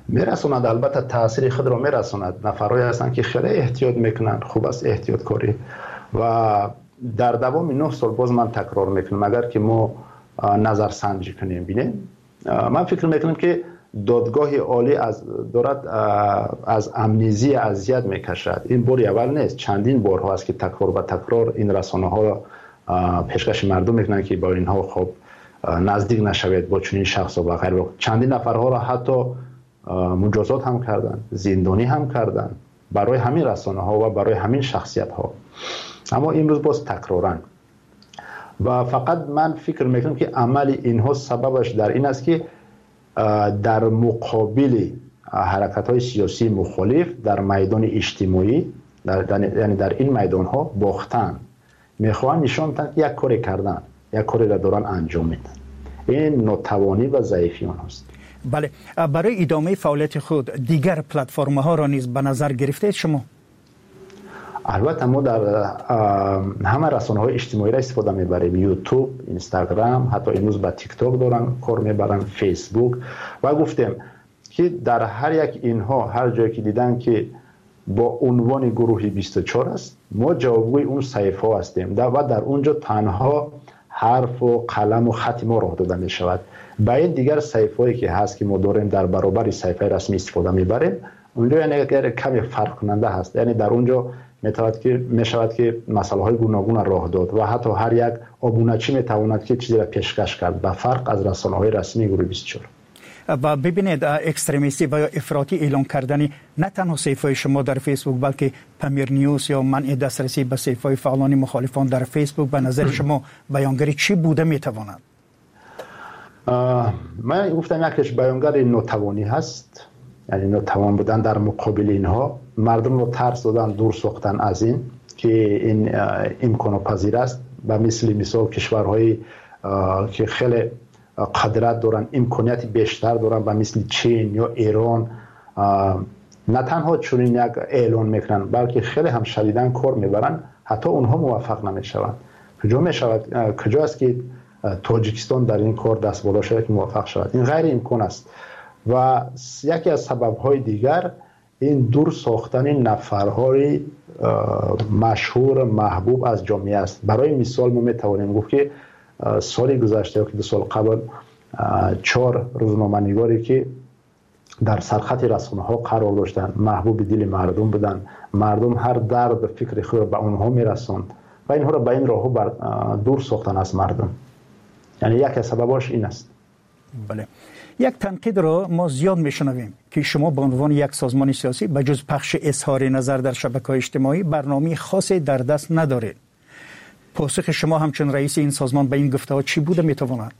Мерасонад, албатта таъсири худро мерасонад. Нафарҳое ҳастанд, ки хеле эҳтиёт мекунанд, хуб аст эҳтиёткорӣ. Ва дар давоми нӯҳ сол, боз ман такрор мекунам, агар ки мо назарсанҷӣ кунем, бинем, ман фикр мекунам, ки додгоҳи олӣ аз дорад аз амнезия азият мекашад. Ин бори аввал нест, чандин борҳо аст, ки такрор ба такрор ин расонаҳоро пешкаши мардум мекунанд, ки бо инҳо хоб наздик нашавед, бо чунин шахсҳо ва ғайр. Чандин нафарҳоро ҳатто муҷозот ҳам карданд, зиндонӣ ҳам карданд барои ҳамин расонаҳо ва барои ҳамин шахсиятҳо. Аммо имрӯз боз такроран. Ва фақат ман фикр мекунам, ки амали инҳо сабабаш дар ин аст, ки дар муқобили ҳаракатҳои сиёсии мухолиф дар майдони иҷтимоӣ, яъне дар ин майдонҳо бохтанд. Мехоҳанд нишон диҳанд, ки як коре карданд, як кореро доранд анҷом медиҳанд. Ин нотавонӣ ва заифии онҳост. Бале, барои идомаи фаъолияти худ дигар платформаҳоро низ ба назар гирифтед шумо? Албатта, мо дар ҳама расонаҳои иҷтимоиро истифода мебарем: Ютуб, Инстаграм, ҳатто имрӯз ба Тикток доранд кор мебаранд, Фейсбук. Ва гуфтем, ки дар ҳар як инҳо, ҳар ҷое ки диданд, ки бо унвони гурӯҳи бисту чор аст, мо ҷавобгӯи он саҳифаҳо ҳастем ва дар он ҷо танҳо ҳарфу қаламу хати мо роҳ дода мешавад. Ба ин дигар саҳифаҳое ки ҳаст, ки мо дорем дар баробари саҳифаи расмӣ истифода мебарем, онҷо яъне каме фарқкунанда ҳаст, яъне дар он ҷо метавонад ки мешавад ки масъалаҳои гуногунро роҳ дод ва ҳатто ҳар як обуначӣ метавонад ки чизеро пешкаш кард, ба фарқ аз расонаҳои расмии гурӯҳи бисту чор. Ва бибинед, экстремистӣ ва ё ифротӣ эълон кардани на танҳо саҳифаи шумо дар Фейсбук, балки Памир Ньюс ё манъи дастрасӣ ба саҳифаҳои фаъолони мухолифон дар Фейсбук ба назари шумо баёнгари чӣ буда метавонад? Ман гуфтам, якеш баёнгари нотавонӣ ҳаст, яъне нотавон будан дар муқобили инҳо, мардумро тарс додан, дур сохтан аз ин, ки ин имконопазир аст. Ба мисли мисол кишварҳое ки хеле қудрат доранд, имконияти бештар доранд, ба мисли Чин ё Эрон, на танҳо чунин як эълон мекунанд, балки хеле ҳам шадидан кор мебаранд, ҳатто онҳо муваффақ намешаванд. Куҷо мешавад, куҷо аст ки Тоҷикистон дар ин кор даст боло шавад, ки муваффақ шавад? Ин ғайриимкон аст. Ва яке аз сабабҳои дигар ин дур сохтани нафарҳои машҳур, маҳбуб аз ҷомеа аст. Барои мисол мо метавонем гуфт, ки соли гузашта ё ки ду сол қабл чор рӯзноманигоре ки дар сархати расонаҳо қарор доштанд, маҳбуби дили мардум буданд, мардум ҳар дарду фикри худро ба онҳо мерасонд ва инҳоро ба ин роҳҳо дур сохтан аз мардум. Яъне яке аз сабабҳояш ин аст. Бале, як танқидро мо зиёд мешунавем, ки шумо ба унвони як созмони сиёсӣ ба ҷуз пахши изҳори назар дар шабакаҳои иҷтимоӣ барномаи хосе дар даст надоред. Посухи шумо ҳамчун раиси ин созмон ба ин гуфтаҳо чӣ буда метавонад?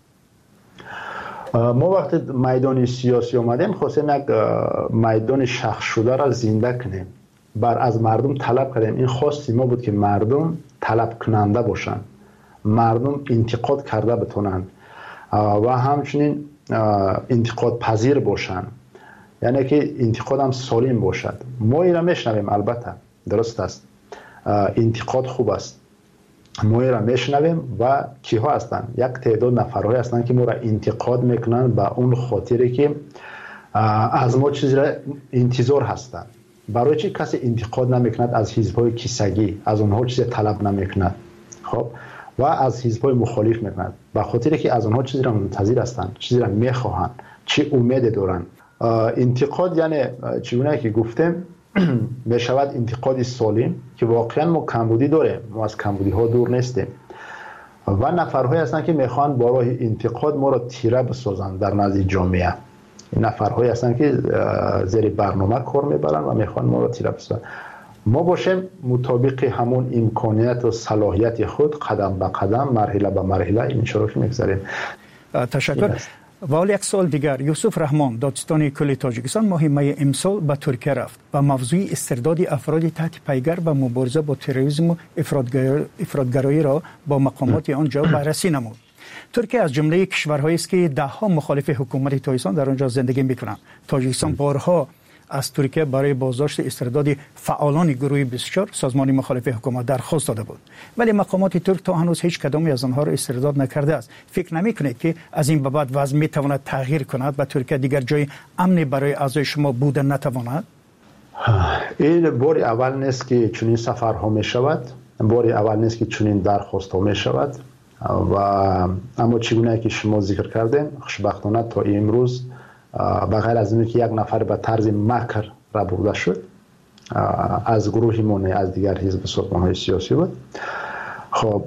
Мо вақте майдони сиёсӣ омадем, хостем як майдони шахсшударо зинда кунем, бар аз мардум талаб кардем. Ин хости мо буд, ки мардум талабкунанда бошанд, мардум интиқод карда битонанд ва ҳамчунин интиқодпазир бошанд, яъне ки интиқодам солим бошад. Мо инро мешунавем, албатта дуруст аст, интиқод хуб аст, мо инро мешунавем. Ва киҳо ҳастанд? Як теъдод нафарҳое ҳастанд, ки моро интиқод мекунанд ба он хотире, ки аз мо чизеро интизор ҳастанд. Барои чӣ касе интиқод намекунад аз ҳизбҳои кисагӣ, аз онҳо чизе талаб намекунад, хоб, ва аз ҳизбҳои мухолиф мекунад? Ба хотире ки аз онҳо чизеро мунтазир ҳастанд, чизеро мехоҳанд, чӣ умеде доранд. Интиқод, яъне чӣ гуна ки гуфтем, мешавад интиқоди солим, ки воқеан мо камбудӣ дорем, мо аз камбудиҳо дур нестем. Ва нафарҳое ҳастанд, ки мехоҳанд бо роҳи интиқод моро тира бисозанд дар назди ҷомеа. Нафарҳое ҳастанд, ки зери барнома кор мебаранд ва мехоҳанд моро тира бисозанд. Мо бошем мутобиқи ҳамон имконият ва салоҳияти худ қадам ба қадам, марҳила ба марҳила ин шурӯъ мегузарем. Ташаккур. Ва ҳол як суол дигар. Юсуф Раҳмон, додситони кулли Тоҷикистон, моҳи майи имсол ба Туркия рафт ва мавзӯи истирдоди афроди таҳти пайгар ва мубориза бо терроризму ифротгароиро бо мақомоти он ҷо баррасӣ намуд. Туркия аз ҷумлаи кишварҳоест, ки даҳҳо мухолифи ҳукумати Тоҷикистон дар он ҷо зиндагӣ мекунанд. Тоҷикистон борҳо аз Туркия барои боздошти истирдоди фаъолони гурӯҳи бисту чор созмони мухолифи ҳукумат дархост дода буд. Вале мақомоти турк то ҳанӯз ҳеҷ кадоме аз онҳоро истирдод накардааст. Фикр намекунед, ки аз ин ба баъд вазъ метавонад тағйир кунад ва Туркия дигар ҷои амне барои аъзои шумо буда натавонад? Ин бори аввал нест, ки чунин сафарҳо мешавад, бори аввал нест, ки чунин дархостҳо мешавад. Ва аммо чӣ гуна ки шумо зикр кардем, хушбахтона то имрӯз ба ғайр аз ин ки як нафар ба тарзи макр рабурда шуд аз гурӯҳи мо, не аз дигар ҳизб созмонҳои сиёсӣ буд. Хоб,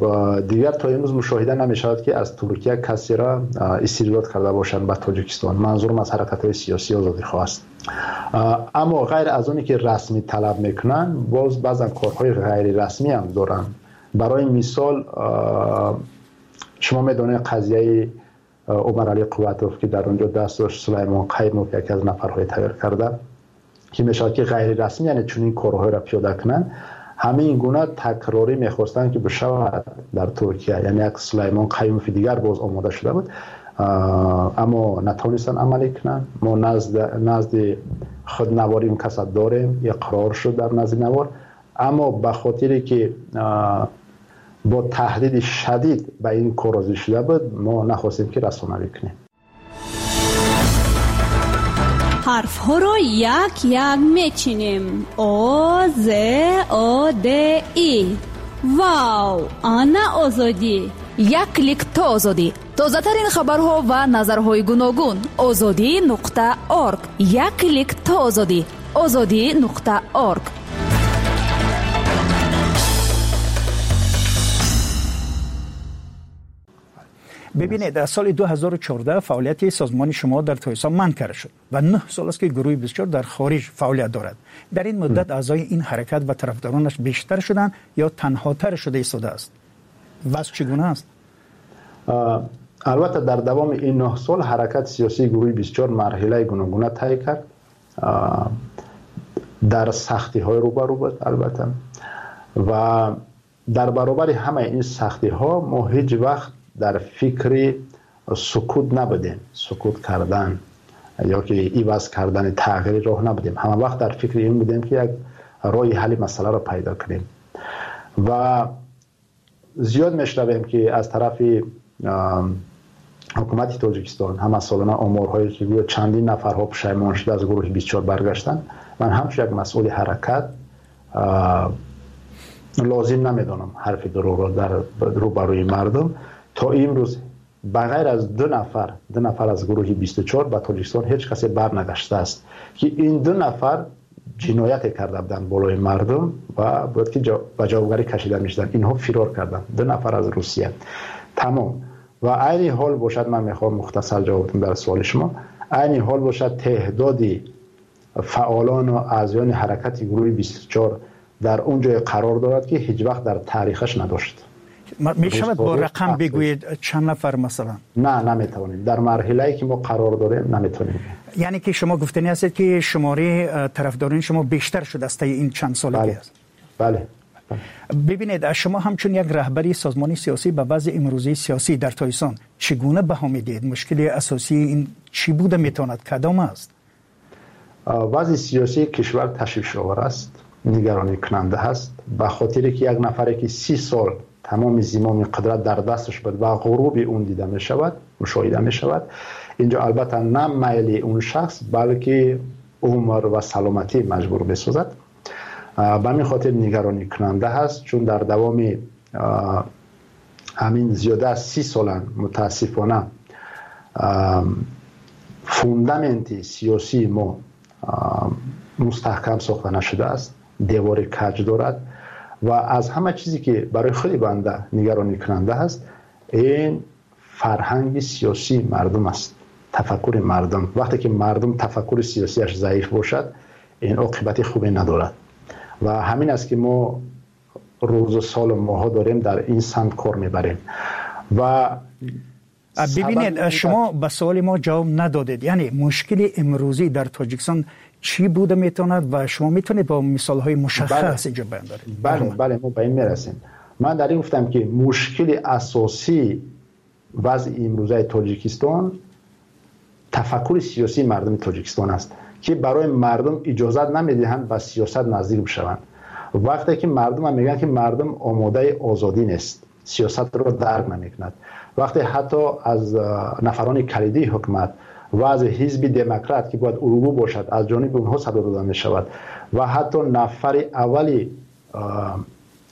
дигар то имрӯз мушоҳида намешавад, ки аз Туркия касеро истирдод карда бошанд ба Тоҷикистон. Манзурам аз ҳаракатҳои сиёсии озодихоҳ аст. Аммо ғайр аз оне ки расмӣ талаб мекунанд, боз баъзан корҳои ғайрирасмӣ ҳам доранд. Барои мисол, шумо медонед қазияи Умаралӣ Қувватов, ки дар он ҷо даст дошт, Сулаймон Қаймов, яке аз нафарҳои тайёр карда, ки мешавад ки ғайрирасмӣ, яъне чунин корҳоеро пиёда кунанд. Ҳамин гуна такрорӣ мехостанд, ки бишавад дар Туркия. Яъне як Сулаймон Қаймови дигар боз омода шуда буд, аммо натавонистанд амалӣ кунанд. Мо назди худ навори ин касад дорем, иқрор шуд дар назди навор, аммо ба хотире ки бо таҳдиди шадид ба ин кор розӣ шуда буд, мо нахостем, ки расонавӣ кунем. Ҳарфҳоро як-як мечинем. О, З, О, Д, И. Вау! Ана Озодӣ! Як клик то Озодӣ. Тозатарин хабарҳо ва назарҳои гуногун. Озодӣ нуқта орг. Як клик то Озодӣ. Озодӣ нуқта орг. Бибинед, аз соли ду ҳазору чордаҳ фаъолияти созмони шумо дар Тоҷикистон манъ карда шуд ва нӯҳ сол аст, ки гурӯҳи бисту чор дар хориҷ фаъолият дорад. Дар ин муддат аъзои ин ҳаракат ва тарафдоронаш бештар шуданд ё танҳотар шуда истодааст? Вазъ чӣ гуна аст? Албатта, дар давоми ин нӯҳ сол ҳаракати сиёсии гурӯҳи бисту чор марҳилаи гуногуна тай кард, дар сахтиҳои рӯбарӯ буд албатта, ва дар баробари ҳамаи ин сахтиҳо мо ҳеҷ вақт дар фикри сукут набудем, сукут кардан ё ки иваз кардани тағйири роҳ набудем. Ҳама вақт дар фикри ин будем, ки як роҳи ҳалли масъаларо пайдо кунем. Ва зиёд мешунавем, ки аз тарафи ҳукумати Тоҷикистон ҳама солона оморҳое, ки гӯё чандин нафарҳо пушаймон шуда аз гурӯҳи бисту чор баргаштанд. Ман ҳамчун як масъули ҳаракат лозим намедонам ҳарфи дурӯғро дар рӯбарӯи мардум. То имрӯз ба ғайр аз ду нафар, ду нафар аз гурӯҳи бисту чор ба Тоҷикистон ҳеҷ касе барнагаштааст, ки ин ду нафар ҷинояте карда буданд болои мардум ва бояд ки ба ҷавобгарӣ кашида мешуданд. Инҳо фирор карданд, ду нафар аз Русия. Тамом. Ва айни ҳол бошад, ман мехоҳам мухтасар ҷавоб диҳам дар суоли шумо, айни ҳол бошад теъдоди фаъолон ва аъзоёни ҳаракати гурӯҳи бисту чор дар он ҷое қарор дорад, ки ҳеҷ вақт дар таърихаш надошт. Мешавад бо рақам бигӯед чанд нафар масалан? Не, наметавонем. Дар марҳилае ки мо қарор дорем наметавонем. Яъне ки шумо гуфтанӣ ҳастед, ки шумораи тарафдорони шумо бештар шудааст таи ин чанд солагӣ аст? Бале. Бибинед, шумо ҳамчун як раҳбари созмони сиёсӣ ба вазъи имрӯзии сиёсӣ дар Тоҷикистон чӣ гуна баҳо медиҳед? Мушкили асосии ин чӣ буда метавонад? Кадом аст? Вазъи сиёсии кишвар ташвишовар аст, нигаронӣкунанда аст, ба хотире ки як нафаре ки си сол тамоми зимоми қудрат дар дасташ буд ва ғуруби он дида мешавад, мушоҳида мешавад. Инҷо албатта на майли он шахс, балки умр ва саломатӣ маҷбур месозад. Ба ҳамин хотир нигаронӣкунанда ҳаст, чун дар давоми ҳамин зиёда аз си солан мутаассифона фундаменти сиёсии мо мустаҳкам сохта нашудааст, девори каҷ дорад. Ва аз ҳама чизе ки барои худи банда нигаронӣкунанда ҳаст, ин фарҳанги сиёсии мардум аст, тафаккури мардум. Вақте ки мардум тафаккури сиёсиаш заиф бошад, ин оқибати хубе надорад. Ва ҳамин аст, ки мо рӯзу солу моҳҳо дорем дар ин самт кор мебарем. Ва бибинед, шумо ба суоли мо ҷавоб надодед. Яъне мушкили имрӯзӣ дар Тоҷикистон чӣ буда метавонад ва шумо метавонед бо мисолҳои мушаххас инҷо баён доред? Бале, бале, мо ба ин мерасем. Ман дар ин гуфтам, ки мушкили асосии вазъи имрӯзаи Тоҷикистон тафаккури сиёсии мардуми Тоҷикистон аст, ки барои мардум иҷозат намедиҳанд ба сиёсат наздик бишаванд. Вақте ки мардум мегӯянд, ки мардум омодаи озодӣ нест, сиёсатро дарк намекунад. Вақте ҳатто аз нафарони калидии ҳукумат ва аз ҳизби демократ, ки бояд ургу бошад, аз ҷониби онҳо садо дода мешавад ва ҳатто нафари аввали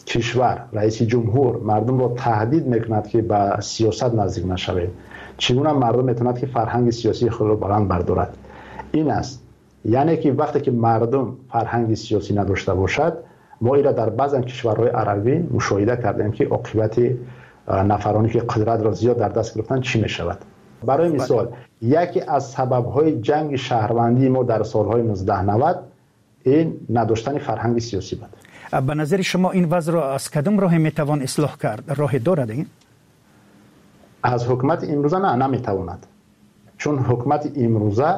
кишвар, раиси ҷумҳур, мардумро таҳдид мекунад, ки ба сиёсат наздик нашавед. Чӣ гуна мардум метавонад, ки фарҳанги сиёсии худро баланд бардорад? Ин аст. Яъне ки вақте ки мардум фарҳанги сиёсӣ надошта бошад, мо инро дар баъзан кишварҳои арабӣ мушоҳида кардем, ки оқибати нафароне ки қудратро зиёд дар даст гирифтанд чӣ мешавад. Барои мисол, яке аз сабабҳои ҷанги шаҳрвандии мо дар солҳои нуздаҳ навад ин надоштани фарҳанги сиёсӣ буд. Ба назари шумо ин вазъро аз кадом роҳе метавон ислоҳ кард? Роҳе дорад ин? Аз ҳукумати имрӯза на, наметавонад. Чун ҳукумати имрӯза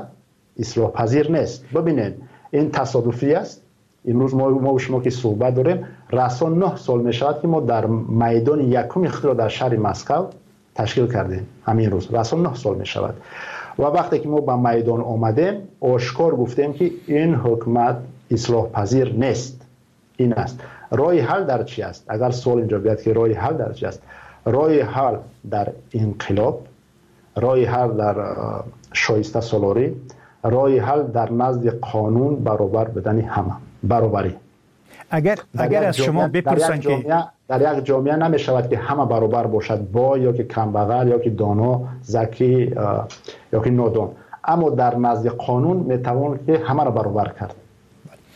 ислоҳпазир нест. Бибинед, ин тасодуфӣ аст. Имрӯз мо мо шумо ки суҳбат дорем, расо нӯҳ сол мешавад, ки мо дар майдони якуми худро дар шаҳри Москва ташкил кардем. Ҳамин рӯз расо нӯҳ сол мешавад. Ва вақте ки мо ба майдон омадем, ошкор гуфтем, ки ин ҳукумат ислоҳпазир нест. Ин аст. Роҳи ҳал дар чӣ аст? Агар суол инҷо биёяд, ки роҳи ҳал дар чӣ аст? Роҳи ҳал дар инқилоб, роҳи ҳал дар шоиста солорӣ, роҳи ҳал дар назди қонун баробар будани ҳама, баробарӣ. Агар агар аз шумо бипурсанд, ки дар як ҷомеа намешавад, ки ҳама баробар бошад, бой ё ки камбағал ё ки доно, закӣ ё ки нодон, аммо дар назди қонун метавон ки ҳамаро баробар кард.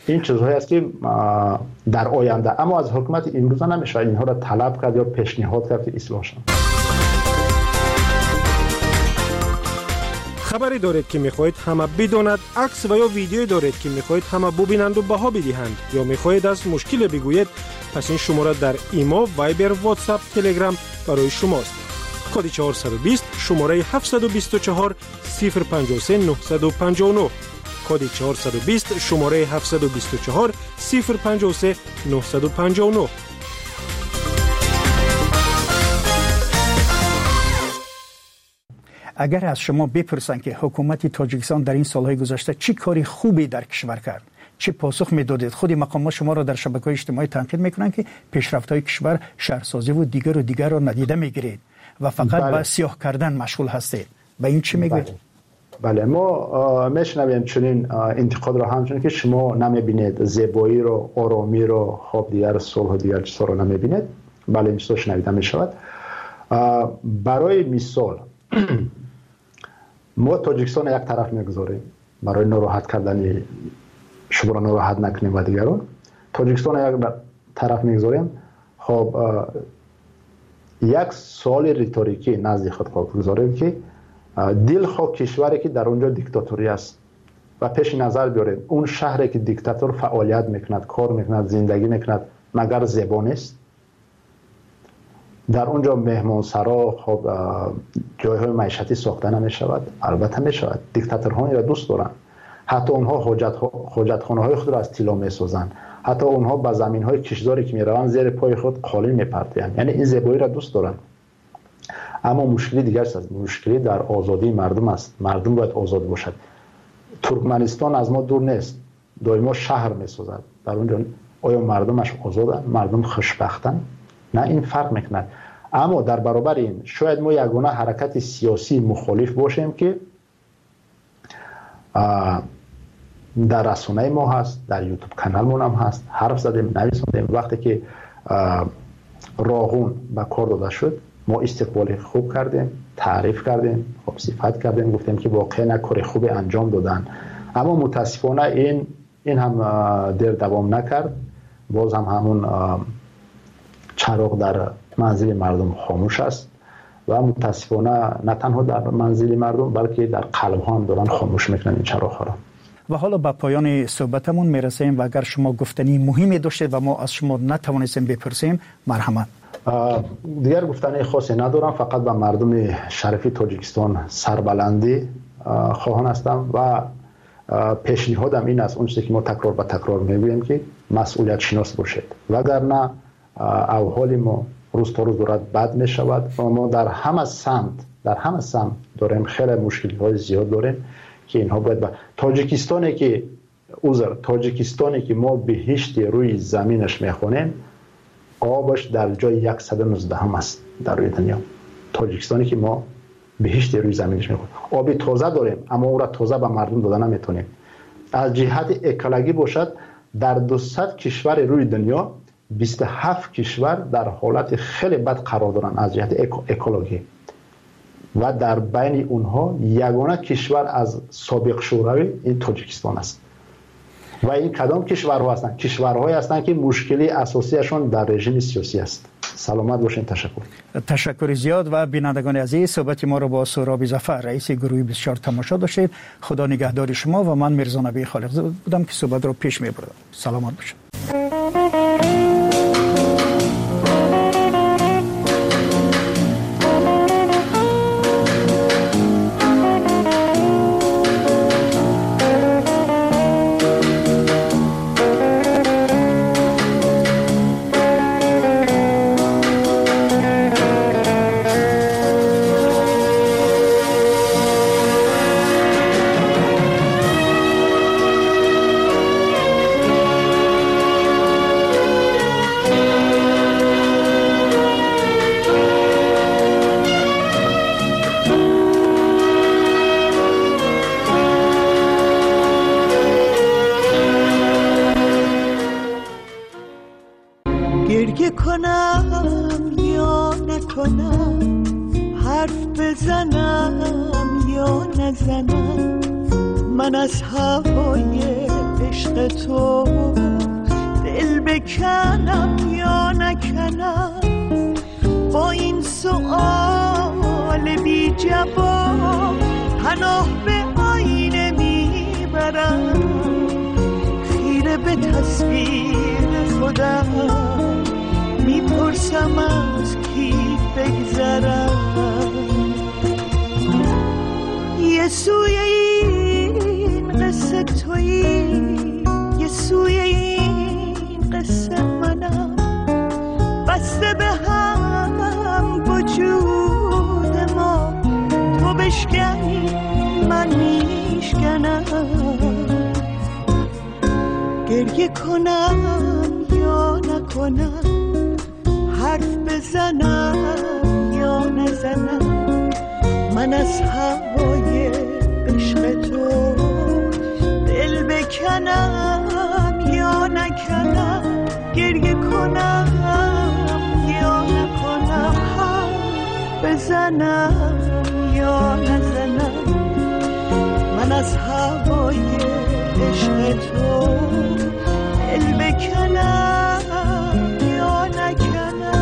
Ин чизҳое аст, ки дар оянда, аммо аз ҳукумати имрӯза намешавад инҳоро талаб кард ё пешниҳод кард, ки ислоҳ шаванд. Хабаре доред, ки мехоҳед ҳама бидонад, акс ва ё видеое доред, ки мехоҳед ҳама бубинанду баҳо бидиҳанд, ё мехоҳед аз мушкиле бигӯед, пас ин шумора дар Имо, Вайбер, Ватсап, Телеграм барои шумост. Коди чорсаду бист, шумораи ҳафтсаду бисту чор, сифр панҷоҳу се, нӯҳсаду панҷоҳу нӯҳ. Коди чорсаду бист, шумораи ҳафтсаду бисту чор, сифр панҷоҳу се, нӯҳсаду панҷоҳу нӯҳ. Агар аз шумо бипурсанд, ки ҳукумати Тоҷикистон дар ин солҳои гузашта чӣ кори хубе дар кишвар кард, чӣ посух медодед? Худи мақомот шуморо дар шабакаҳои иҷтимоӣ танқид мекунанд, ки пешрафтҳои кишвар, шаҳрсозиву дигару дигарро надида мегиред ва фақат ба сиёҳ кардан машғул ҳастед. Ба ин чӣ мегӯед? Бале, мо мешунавем чунин интиқодро ҳамчунин, ки шумо намебинед зебоиро, оромиро, хоб дигар сулҳу дигар чизҳоро намебинед. Бале, ин чизҳо шунавида мешавад. Барои мисол, мо Тоҷикистонро як тараф мегузорем барои нороҳат кардани шуморо, нороҳат накунем ва дигарон. Тоҷикистонро як тараф мегузорем. Хоб, як суоли риторикӣ назди худ гузорем, ки дилхоҳ кишваре, ки дар он ҷо диктаторӣ аст, ва пеши назар биёрем он шаҳре, ки диктатор фаъолият мекунад, кор мекунад, зиндагӣ мекунад, магар зебо нест? Дар он ҷо меҳмонсаро, хоб, ҷойҳои маишатӣ сохта намешавад? Албатта мешавад. Диктаторҳо инро дӯст доранд. Ҳатто онҳо ҳоҷатхонаҳои худро аз тилло месозанд. Ҳатто онҳо ба заминҳои киштзоре, ки мераванд, зери пои худ қолин мепартоянд. Яъне ин зебоиро дӯст доранд. Аммо мушкили дигар аст. Мушкилӣ дар озодии мардум аст. Мардум бояд озод бошад. Туркманистон аз мо дур нест, доимо шаҳр месозад. Дар он ҷо оё мардумаш озоданд? Мардум хушбахтанд? На, ин фарқ мекунад. Аммо дар баробари ин шояд мо ягона ҳаракати сиёсии мухолиф бошем, ки дар расонаи мо ҳаст, дар ютуб каналмон ҳам ҳаст, ҳарф задем, нависондем. Вақте ки Роғун ба кор дода шуд, мо истиқболи хуб кардем, таъриф кардем, хуб сифат кардем, гуфтем, ки воқеан кори хубе анҷом доданд. Аммо мутаассифона ин ин ҳам дер давом накард. Боз ҳам ҳамун чароғ дар манзили мардум хомӯш аст ва мутаассифона на танҳо дар манзили мардум, балки дар қалбҳо ҳам доранд хомӯш мекунанд ин чароғҳоро. Ва ҳоло ба поёни суҳбатамон мерасем ва агар шумо гуфтании муҳиме доштед ва мо аз шумо натавонистем бипурсем, марҳамат. Дигар гуфтании хосе надорам, фақат ба мардуми шарифи Тоҷикистон сарбаландӣ хоҳон ҳастам ва пешниҳодам ин аст, он чизе ки мо такрор ба такрор мегӯем, ки масъулиятшинос бошед, вагарна авҳоли мо, рӯз то рӯз дорад бад мешавад ва мо дар ҳама самт дар ҳама самт дорем хеле мушкилиҳои зиёд дорем ки инҳо бояд ба Тоҷикистоне ки узр Тоҷикистоне ки мо биҳишти рӯи заминаш мехонем, обаш дар ҷои яксаду нуздаҳум аст дар рӯи дунё. Тоҷикистоне ки мо биҳишти рӯи заминаш мехонем, оби тоза дорем, аммо ӯро тоза ба мардум дода наметавонем. Аз ҷиҳати экологӣ бошад, дар дусад кишвари рӯи дунё бисту ҳафт кишвар дар ҳолати хеле бад қарор доранд аз ҷиҳати экологӣ ва дар байни онҳо ягона кишвар аз собиқ Шӯравӣ ин Тоҷикистон аст. Ва ин кадом кишварҳо ҳастанд? Кишварҳое ҳастанд ки мушкили асосиашон дар режими сиёсӣ аст. Саломат бошед, ташаккур. Ташаккури зиёд ва бинандагони азиз, суҳбати моро бо Суҳроби Зафар, раиси гурӯҳи бисту чор тамошо доштед. Худо нигаҳдори шумо ва ман Мирзо Набӣ Холиқзода будам ки суҳбатро пеш мебурдам. Саломат бошед. گریه کنم یا نکنم، حرف بزنم یا نزنم، من از هوای عشق تو دل بکنم یا نکنم، گریه کنم یا نکنم، حرف بزنم یا نزنم، من از هوای عشق تو دل بکنم یا نکنم.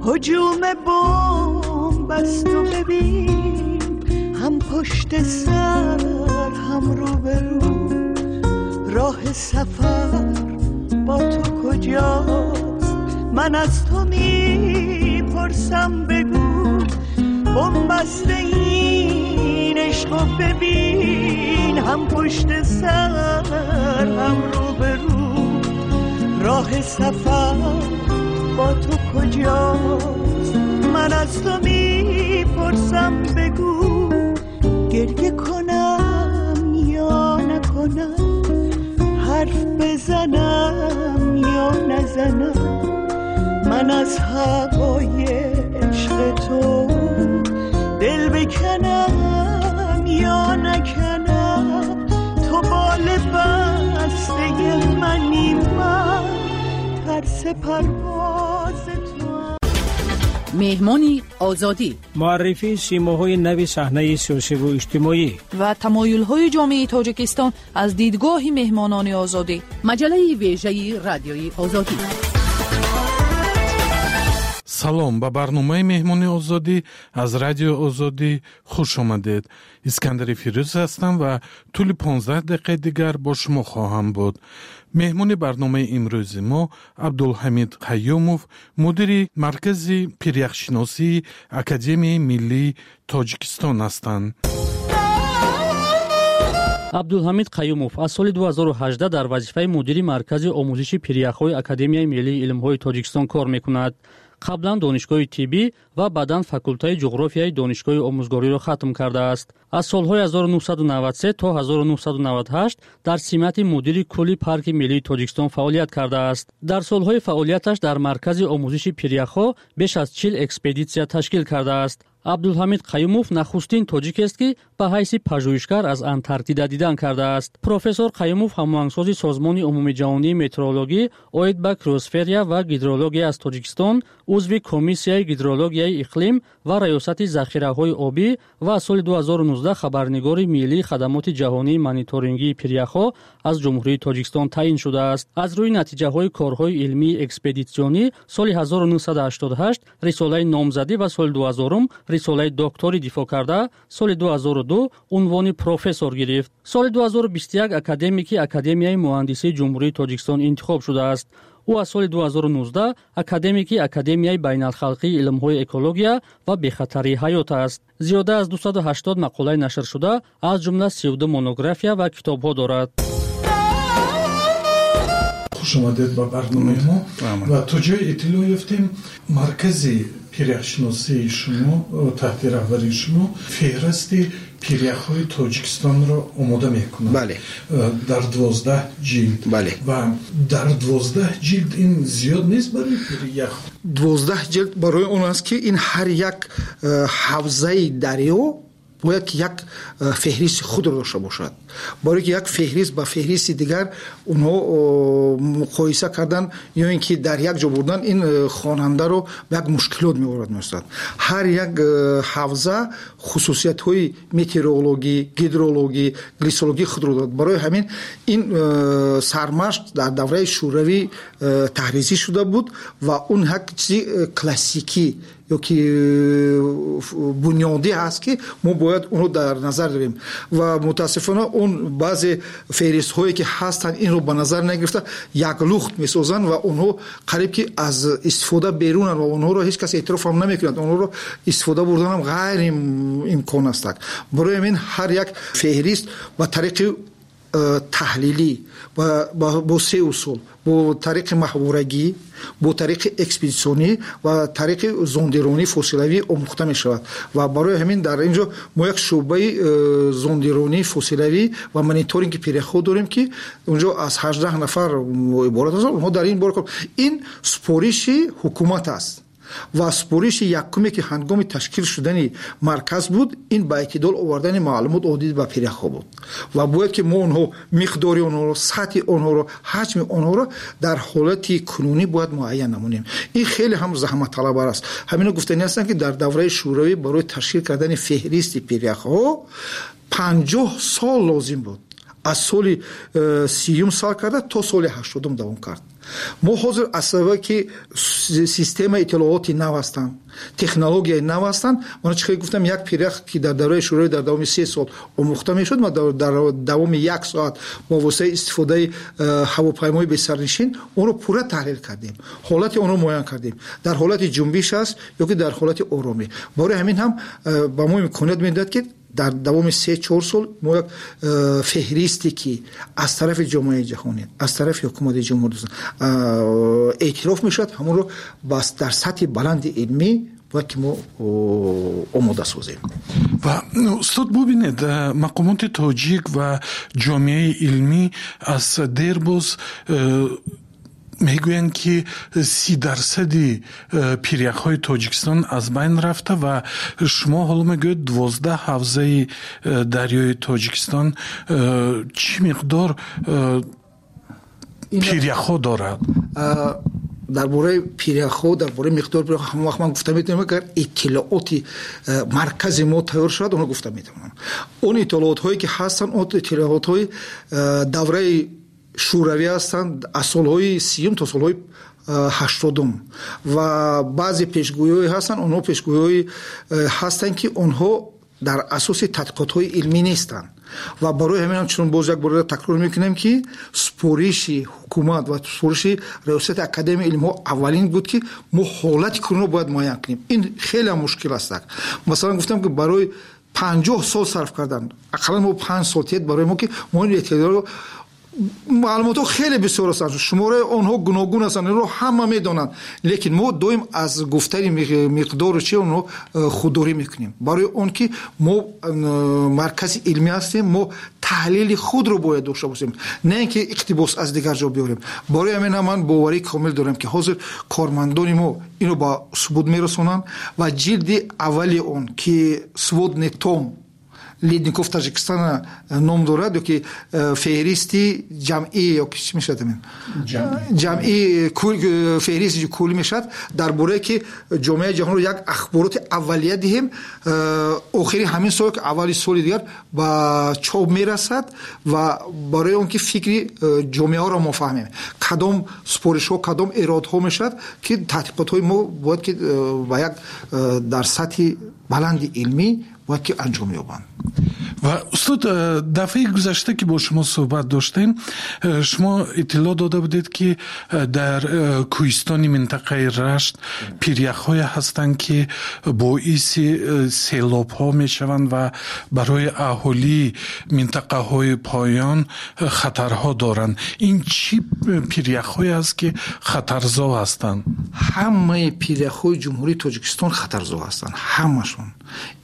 هجوم بمب است و ببین، هم پشت سر هم روبرو، راه سفر با تو کجاست؟ من از تو میپرسم بگو، بن‌بست این عشقو ببین، هم پشت سر هم روبرو، راه سفر با تو کجاست؟ من از تو میپرسم بگو، گریه کنم یا نکنم، حرف بزنم یا نزنم، من از هوای عشق تو دل بکنم یا نکنم، تو با پرواز تو. Меҳмони Озодӣ. Муаррифии симоҳои нави саҳнаи сиёсиву иҷтимоӣ ва тамоюлҳои ҷомеаи Тоҷикистон аз дидгоҳи меҳмонони Озодӣ. Маҷаллаи вежаи Радиои Озодӣ. Салом, ба барномаи Меҳмони Озодӣ аз Радиои Озодӣ хуш омадед. Искандари Фирӯз ҳастам ва тӯли понздаҳ дақиқаи дигар бо шумо хоҳам буд. Меҳмони барномаи имрӯзи мо Абдулҳамид Қаюмов, мудири Маркази пиряхшиносии Академияи миллии Тоҷикистон ҳастанд. Абдулҳамид Қаюмов аз соли ду ҳазору ҳаждаҳ дар вазифаи мудири Маркази омӯзиши пиряхҳои Академияи миллии илмҳои Тоҷикистон кор мекунад. Қаблан донишгоҳи тиббӣ ва баъдан факултаи ҷуғрофияи донишгоҳи омӯзгориро хатм кардааст. Аз солҳои ҳазору нӯҳсаду наваду се то ҳазору нӯҳсаду наваду ҳашт дар симати мудири кулли Парки миллии Тоҷикистон фаъолият кардааст. Дар солҳои фаъолияташ дар Маркази омӯзиши пиряхҳо беш аз чил экспедитсия ташкил кардааст. Абдулҳамид Қаюмов нахустин тоҷикест, ки ба ҳайси пажӯҳишгар аз Антарктида дидан кардааст. Профессор Қаюмов ҳамоҳангсози Созмони умумиҷаҳонии метеорологӣ оид ба криосферия ва гидрология аз Тоҷикистон, узви Комиссияи гидрологияи иқлим ва раёсати захираҳои обӣ ва аз соли ду ҳазору нуздаҳ хабарнигори миллии хадамоти ҷаҳонии мониторингии пиряхҳо аз Ҷумҳурии Тоҷикистон таъин шудааст. Аз рӯи натиҷаҳои корҳои илмии экспедитсионӣ соли ҳазору нӯҳсаду ҳаштоду ҳашт рисолаи номзадӣ ва соли ду ҳазорум рисолаи докторӣ дифоъ карда, соли ду ҳазору ду унвони профессор гирифт. Соли ду ҳазору бисту як академики Академияи муҳандисии Ҷумҳурии Тоҷикистон интихоб шудааст. Ӯ аз соли ду ҳазору нуздаҳ академики Академияи байналхалқии илмҳои экология ва бехатарии ҳаёт аст. Зиёда аз дусаду ҳаштод мақолаи нашршуда, аз ҷумла сию ду монография ва китобҳо дорад. Хуш омадед ба барномаи мо. Ва то ҷое иттилоъ ёфтем, маркази пиряхшиносии шумо таҳти раҳбарии шумо феҳристи пиряхҳои Тоҷикистонро омода мекунад. Бале. Дар дувоздаҳ ҷилд. Бале. Ва дар дувоздаҳ ҷилд ин зиёд нест барои пирях? Дувоздаҳ ҷилд барои он аст, ки ин ҳар як ҳавзаи дарё бояд ки як феҳристи худро дошта бошад. Барои ки як феҳрист ба феҳристи дигар онҳо муқоиса кардан ё ин ки дар як ҷо бурдан ин хонандаро ба як мушкилот меорад месозад. Ҳар як ҳавза хусусиятҳои метеорологӣ, гидрологӣ, глисологӣ худро дорад. Барои ҳамин ин сармашқ дар давраи шӯравӣ таҳризӣ шуда буд ва он як чизи классикӣ ё ки бунёдӣ ҳаст, ки мо бояд онро дар назар дорем. Ва мутаассифона он баъзе феҳристҳое ки ҳастанд инро ба назар нагирифта як лухт месозанд ва онҳо қариб ки аз истифода берунанд ва онҳоро ҳеҷ кас эътироф ҳам намекунад. Онҳоро истифода бурдан ҳам ғайриимкон аст. Барои ҳамин ҳар як феҳрист ба тариқи таҳлилӣ бо се усул, бо тариқи маҳворагӣ, бо тариқи экспедитсионӣ ва тариқи зондиронии фосилавӣ омӯхта мешавад. Ва барои ҳамин дар ин ҷо мо як шӯъбаи зондиронии фосилавӣ ва мониторинги пиряхҳо дорем, ки онҷо аз ҳаждаҳ нафар иборат аст. Онҳо дар ин бора кор. Ин супориши ҳукумат аст ва супориши якуме ки ҳангоми ташкил шудани марказ буд, ин ба эътидол овардани маълумот оид ба пиряхҳо буд. Ва бояд ки мо онҳо миқдори онҳоро, сатҳи онҳоро, ҳаҷми онҳоро дар ҳолати кунунӣ бояд муайян намонем. Ин хеле ҳам заҳматталабар аст. Ҳамино гуфтанӣ ҳастанд, ки дар давраи шӯравӣ барои ташкил кардани феҳристи пиряхҳо панҷоҳ сол лозим буд. Аз соли сиюм сар карда то соли ҳаштодум давом кард. Мо ҳозир аз сабабе ки системаи иттилооти нав ҳастанд, технологияи нав ҳастанд, ман чӣ хеле гуфтам, як пирях ки дар давраи шӯравӣ дар давоми се сол омӯхта мешуд, ма дар давоми як соат бо воситаи истифодаи ҳавопаймои бесарнишин онро пурра таҳлил кардем, ҳолати онро муайян кардем, дар ҳолати ҷунбиш аст ё ки дар ҳолати оромӣ. Барои ҳамин ҳам ба мо имконият медиҳад, ки дар давоми се чор сол мо як феҳристе ки аз тарафи ҷомеаи ҷаҳонӣ, аз тарафи ҳукумати ҷумҳурии эътироф мешавад, ҳамонро дар сатҳи баланди илмӣ бояд ки мо омода созем. Ва устод, бубинед, мақомоти тоҷик ва ҷомеаи илмӣ аз дербоз мегӯянд, ки си дарсади пиряхҳои Тоҷикистон аз байн рафта ва шумо ҳоло мегӯед дувоздаҳ ҳавзаи дарёи Тоҷикистон чӣ миқдор пиряхҳо дорад? Дар бораи пиряхҳо, дар бораи миқдори пиряхҳо ҳамон вақт ман гуфта метавонам, агар иттилооти маркази мо тайёр шавад, онро гуфта метавонам. Он иттилоотҳое ки ҳастанд, он иттилоотҳои давраи шӯравӣ ҳастанд, аз солҳои сиюм то солҳои ҳаштодум, ва баъзе пешгӯиҳое ҳастанд, онҳо пешгӯиҳое ҳастанд, ки онҳо дар асоси тадқиқотҳои илмӣ нестанд. Ва барои ҳамин ҳам чун боз як бор такрор мекунем, ки супориши ҳукумат ва супориши раёсати академияи илмҳо аввалин буд, ки мо ҳолати кунунро бояд муайян кунем. Ин хеле мушкил аст. Масалан гуфтам, ки барои панҷоҳ сол сарф кардан, ақаллан мо панҷ сол тиед барои мо, ки мо ин эътидолро, маълумотҳо хеле бисёр ҳастанд, шумораи онҳо гуногун ҳастанд, инро ҳама медонанд, лекин мо доим аз гуфтани миқдору чи онҳо худдорӣ мекунем, барои он ки мо маркази илмӣ ҳастем, мо таҳлили худро бояд дошта бошем, на ин ки иқтибос аз дигар ҷо биёрем. Барои ҳамин ҳам ман боварии комил дорам, ки ҳозир кормандони мо инро ба субут мерасонанд ва ҷилди аввали он, ки сводный том ледников Таҷикистона ном дорад, ё ки феҳристи ҷамъӣ, ё ки чӣ мешавад, ҷамъӣ феҳристи куллӣ мешавад, дар бораe ки ҷомеаи ҷаҳонро як ахбороти аввалия диҳем, охири ҳамин сол, ки аввали соли дигар ба чоп мерасад, ва барои он ки фикри ҷомеаро мо фаҳмем, кадом супоришҳо, кадом эродҳо мешавад, ки таҳқиқотҳои мо бояд ки ба як дар сатҳи баланди илмӣ бояд ки анҷом ёбанд. Ва устод, дафъаи гузашта ки бо шумо суҳбат доштем, шумо иттилоъ дода будед, ки дар кӯҳистони минтақаи Рашт пиряхҳое ҳастанд, ки боиси селобҳо мешаванд ва барои аҳолии минтақаҳои поён хатарҳо доранд. Ин чӣ пиряхҳое аст, ки хатарзо ҳастанд? Ҳамаи пиряхҳои Ҷумҳурии Тоҷикистон хатарзо ҳастанд, ҳамашон.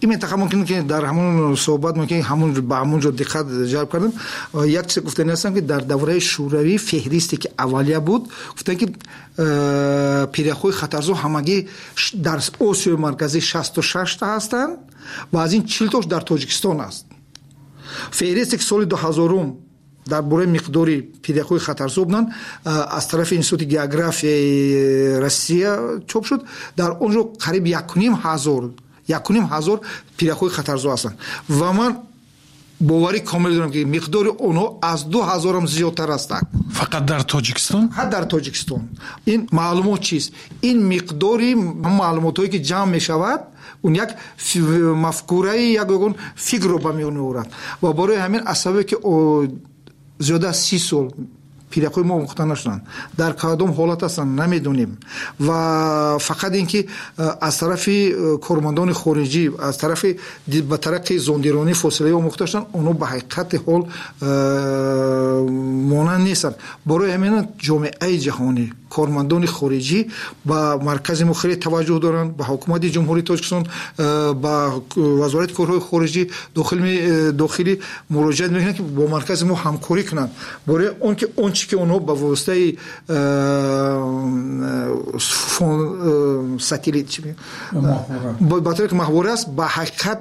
Ин минтақа мумкин ки дар ҳамон суҳбат мумкин ҳамон ба ҳамон ҷо диққат ҷалб кардам. Як чиз гуфтани ҳастам, ки дар давраи шӯравӣ феҳристе ки аввалия буд, гуфтанд, ки пиряхҳои хатарзо ҳамагӣ дар Осиёи Марказӣ шасту шашта ҳастанд ва аз ин чилтош дар Тоҷикистон аст. Феҳристе ки соли дуҳазорум дар бораи миқдори пиряхҳои хатарзо буданд, аз тарафи Институти географияи Россия чоп шуд, дар он ҷо қариб якуним ҳазор якуним ҳазор пиряхҳои хатарзо ҳастанд. Ва ман боварӣ комил дорам, ки миқдори онҳо аз ду ҳазорам зиёдтар ҳастанд. Фақат дар Тоҷикистон? Фақат дар Тоҷикистон. Ин маълумот чист? Ин миқдори маълумотҳое ки ҷамъ мешавад, он як мафкураи, як ягон фикрро ба миён меорад. Ва барои ҳамин аз сабабе ки зиёда аз си сол пиряхҳои мо омӯхта нашуданд, дар кадом ҳолат ҳастанд намедонем, ва фақат ин ки аз тарафи кормандони хориҷӣ, аз тарафи ба тариқи зондиронӣ фосилаи омӯхта шуданд, онҳо ба ҳақиқати ҳол монанд нестанд. Барои ҳамин ҷомеаи ҷаҳонӣ, кормандони хориҷӣ ба маркази мо хеле таваҷҷӯҳ доранд, ба ҳукумати Ҷумҳурии Тоҷикистон, ба вазорати корҳои хориҷӣ дохилӣ муроҷиат мекунанд, ки бо маркази мо ҳамкорӣ кунанд, барои он ки он чи ки онҳо ба воситаи сателлит ба тариқи маҳвора аст, ба ҳақиқат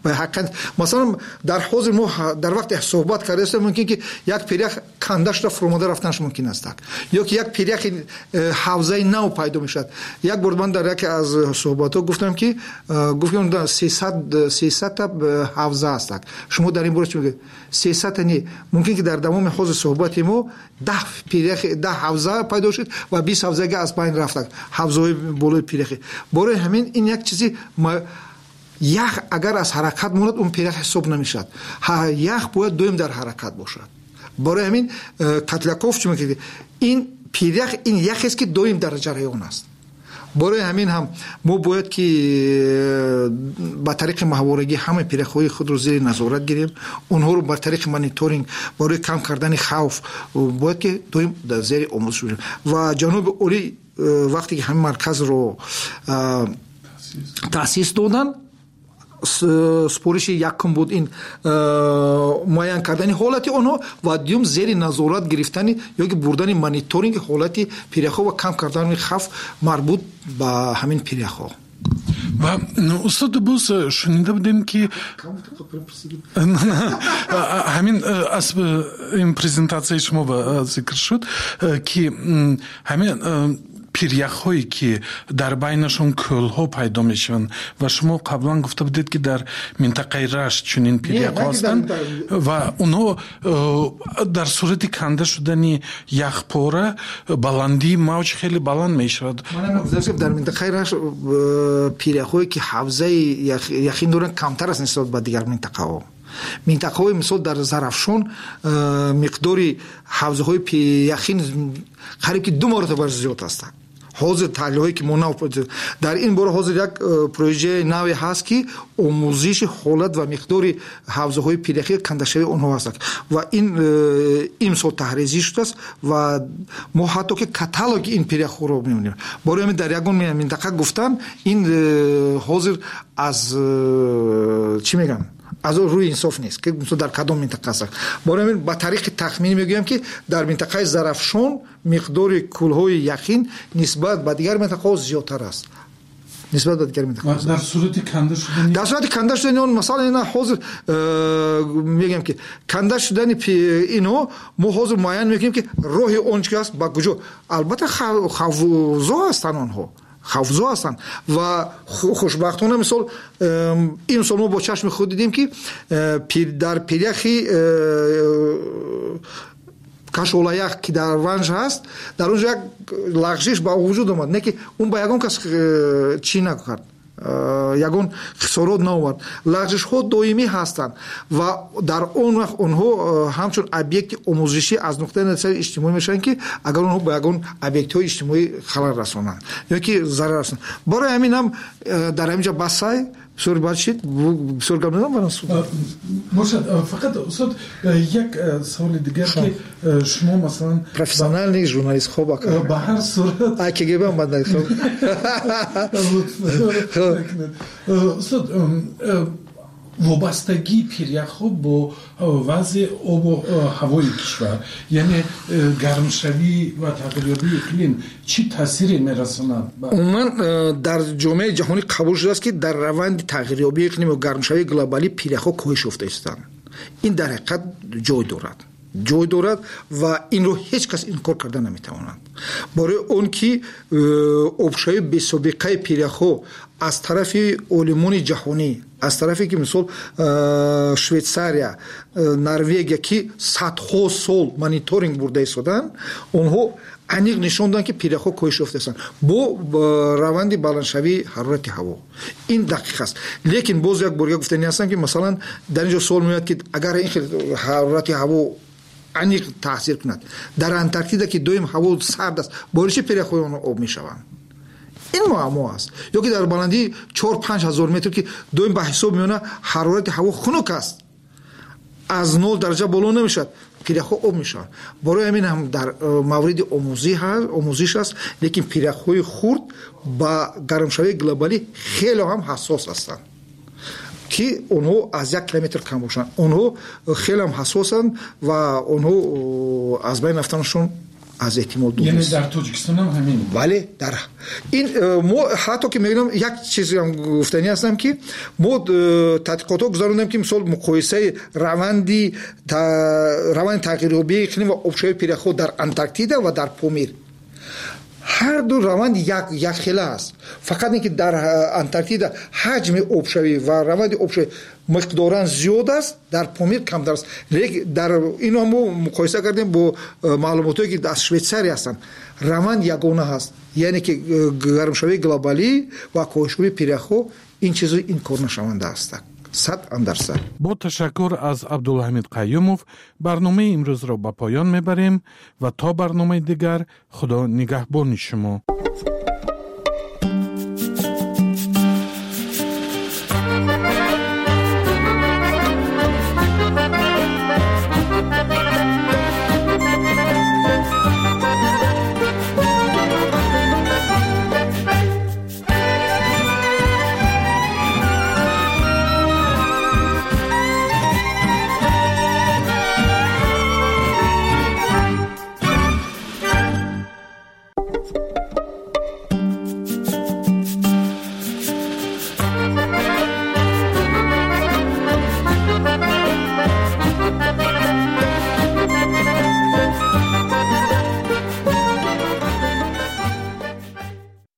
ба ҳақиқат масалан дар ҳозир мо дар вақте суҳбат кардаистем, мумкин ки як пирях канда шуда фуромада рафтанаш мумкин аст, ё ки як пиряхи ҳавзаи нав пайдо мешавад. Як бор ман дар яке аз суҳбатҳо гуфтам, ки гуфтам сесадта ҳавза аст. Шумо дар ин бора чӣ мегӯед? Сесадта не, мумкин ки дар давоми ҳозир суҳбати мо даҳ пирях, даҳ ҳавза пайдо шуд ва бист ҳавзага аз байн рафтанд, ҳавзаҳои болои пиряхи. Барои ҳамин ин як чизи ях агар аз ҳаракат монад, он пирях ҳисоб намешавад. Ях бояд доим дар ҳаракат бошад. Барои ҳамин Котляков чӣ мегӯяд? Ин пирях ин яхест, ки доим дар ҷараён аст. Барои ҳамин ҳам мо бояд ки ба тариқи маҳворагӣ ҳамаи пиряхҳои худро зери назорат гирем, онҳоро ба тариқи мониторинг барои кам кардани хавф бояд ки доим дар зери омӯзиш бошем. Ва ҷаноби олӣ вақте ки ҳамин марказро таъсис доданд, супориши якум буд ин муайян кардани ҳолати онҳо ва дуюм зери назорат гирифтани ё ки бурдани мониторинги ҳолати пиряхҳо ва кам кардани хавф марбут ба ҳамин пиряхҳо. Ва устод, боз шунида будем, ки ҳамин аз ин презентатсияи шумо зикр шуд, ки ҳамин пиряхҳое, ки дар байнашон кӯлҳо пайдо мешаванд, ва шумо қаблан гуфта будед, ки дар минтақаи Рашт чунин пиряхҳо ҳастанд ва онҳо дар сурати канда шудани яхпора баландии мавҷ хеле баланд мешавад. Дар минтақаи Рашт пиряхҳое, ки ҳавзаи яхин доранд, камтар аст нисбат ба дигар минтақаҳо. Минтақаҳои мисол дар Зарафшон миқдори ҳавзаҳои яхин қариб ки ду маротиба зиёд ҳастанд. Ҳозир таҳлилҳое, ки мо нав дар ин бора, ҳозир як проекти наве ҳаст, ки омӯзиши ҳолат ва миқдори ҳавзаҳои пиряхӣ, кандашавии онҳо ҳастанд, ва ин имсол таҳризӣ шудааст ва мо ҳатто ки каталоги ин пиряхҳоро мебинем. Барои ҳамин дар ягон минтақа гуфтан ин ҳозир аз чӣ мегӯям, аз рӯи инсоф нест, ки мисол дар кадом минтақа аст. Барои ҳамин ба тариқи тахминӣ мегӯям, ки дар минтақаи Зарафшон миқдори кӯлҳои яхин нисбат ба дигар минтақаҳо зиёдтар аст. Нисбат ба дигар минтақаҳо. Дар сурати канда шудани, дар сурати канда шудани он, масалан, ина ҳозир мегӯям, ки канда шудани инҳо мо ҳозир муайян мекунем, ки роҳи он чи аст, ба куҷо. Албатта хавфзо ҳастанд онҳо, хавфзо ҳастанд ва хушбахтона мисол имсол мо бо чашми худ дидем, ки дар пиряхи Кашолаях, ки дар Ванж ҳаст, дар он ҷо як лағжиш ба вуҷуд омад, не ки он ба ягон кас чӣ накард, ягон хисорот наовард. Лағжишҳо доимӣ ҳастанд ва дар он вақт онҳо ҳамчун объекти омӯзишӣ аз нуқтаи назари иҷтимоӣ мешаванд, ки агар онҳо ба ягон объектҳои иҷтимоӣ халал расонанд ё ки зарар расонанд. Барои ҳамин ҳам дар ҳамин ҷо басай бисёр бад шид, бисёр гап назанам барам. Бошад, фақат устод, як саволи дигар, ки шумо масалан профессиональный журналист, хоб ака, ба ҳар сурат ай КГБ омад. Устод, вобастагии пиряхҳо бо вазъи обу ҳавои кишвар, яъне гармшавӣ ва тағйирёбии иқлим чӣ таъсире мерасонад? Умуман дар ҷомеаи ҷаҳонӣ қабул шудааст, ки дар раванди тағйирёбии иқлим ва гармшавии глобалӣ пиряхҳо коҳиш ёфта истанд. Ин дар ҳақиқат ҷой дорад, ҷой дорад ва инро ҳеҷ кас инкор карда наметавонад. Барои он ки обшавии бесобиқаи пиряхҳо аз тарафи олимони ҷаҳонӣ, аз тарафе ки мисол Швейтсария, Норвегия, ки садҳо сол мониторинг бурда истоданд, онҳо аниқ нишон доданд, ки пиряхҳо коҳиш ёфтаистанд бо раванди баландшавии ҳарорати ҳаво. Ин дақиқ аст. Лекин боз як бор гуфтанӣ ҳастам, ки масалан дар ин ҷо суол меояд, ки агар ин хел ҳарорати ҳаво аниқ таъсир кунад, дар Антарктида, ки доим ҳаво сард аст, барои чӣ пиряхҳои онҳо об мешаванд? Ин муаммо аст. Ё ки дар баландии чор панҷ ҳазор метр, ки доим ба ҳисоб меона ҳарорати ҳаво хунук аст, аз нол дараҷа боло намешавад, пиряхҳо об мешаванд. Барои ҳамин ҳам дар мавриди омӯзиш аст, лекин пиряхҳои хурд ба гармшавии глобалӣ хеле ҳам ҳассос ҳастанд, ки онҳо аз як километр кам бошанд. Онҳо хеле ҳам ҳассосанд ва онҳо аз байн рафтанашон аз эҳтимол дур нест. Яъне дар Тоҷикистон ҳам ҳамин? Бале, дар ин мо ҳатто ки мегӯям, як чизам гуфтанӣ ҳастам, ки мо тадқиқотҳо гузарондем, ки мисол муқоисаи раванди раванди тағйирёбии иқлим ва обшавии пиряхҳо дар Антарктида ва дар Помир. Ҳар ду раванд як якхела аст. Фақат ин ки дар Антарктида ҳаҷми обшавӣ ва раванди обшавӣ миқдоран зиёд аст, дар Помир камтар аст. Лекин дар инро мо муқоиса кардем бо маълумотҳое, ки аз Швейтсария ҳастанд. Раванд ягона ҳаст, яъне ки гармшавии глобалӣ ва коҳишёбии пиряхҳо ин чизо инкорнашаванда ҳастанд. Сад андар сад. Бо ташаккур аз Абдулҳамид Қаюмов барномаи имрӯзро ба поён мебарем ва то барномаи дигар Худо нигаҳбони шумо.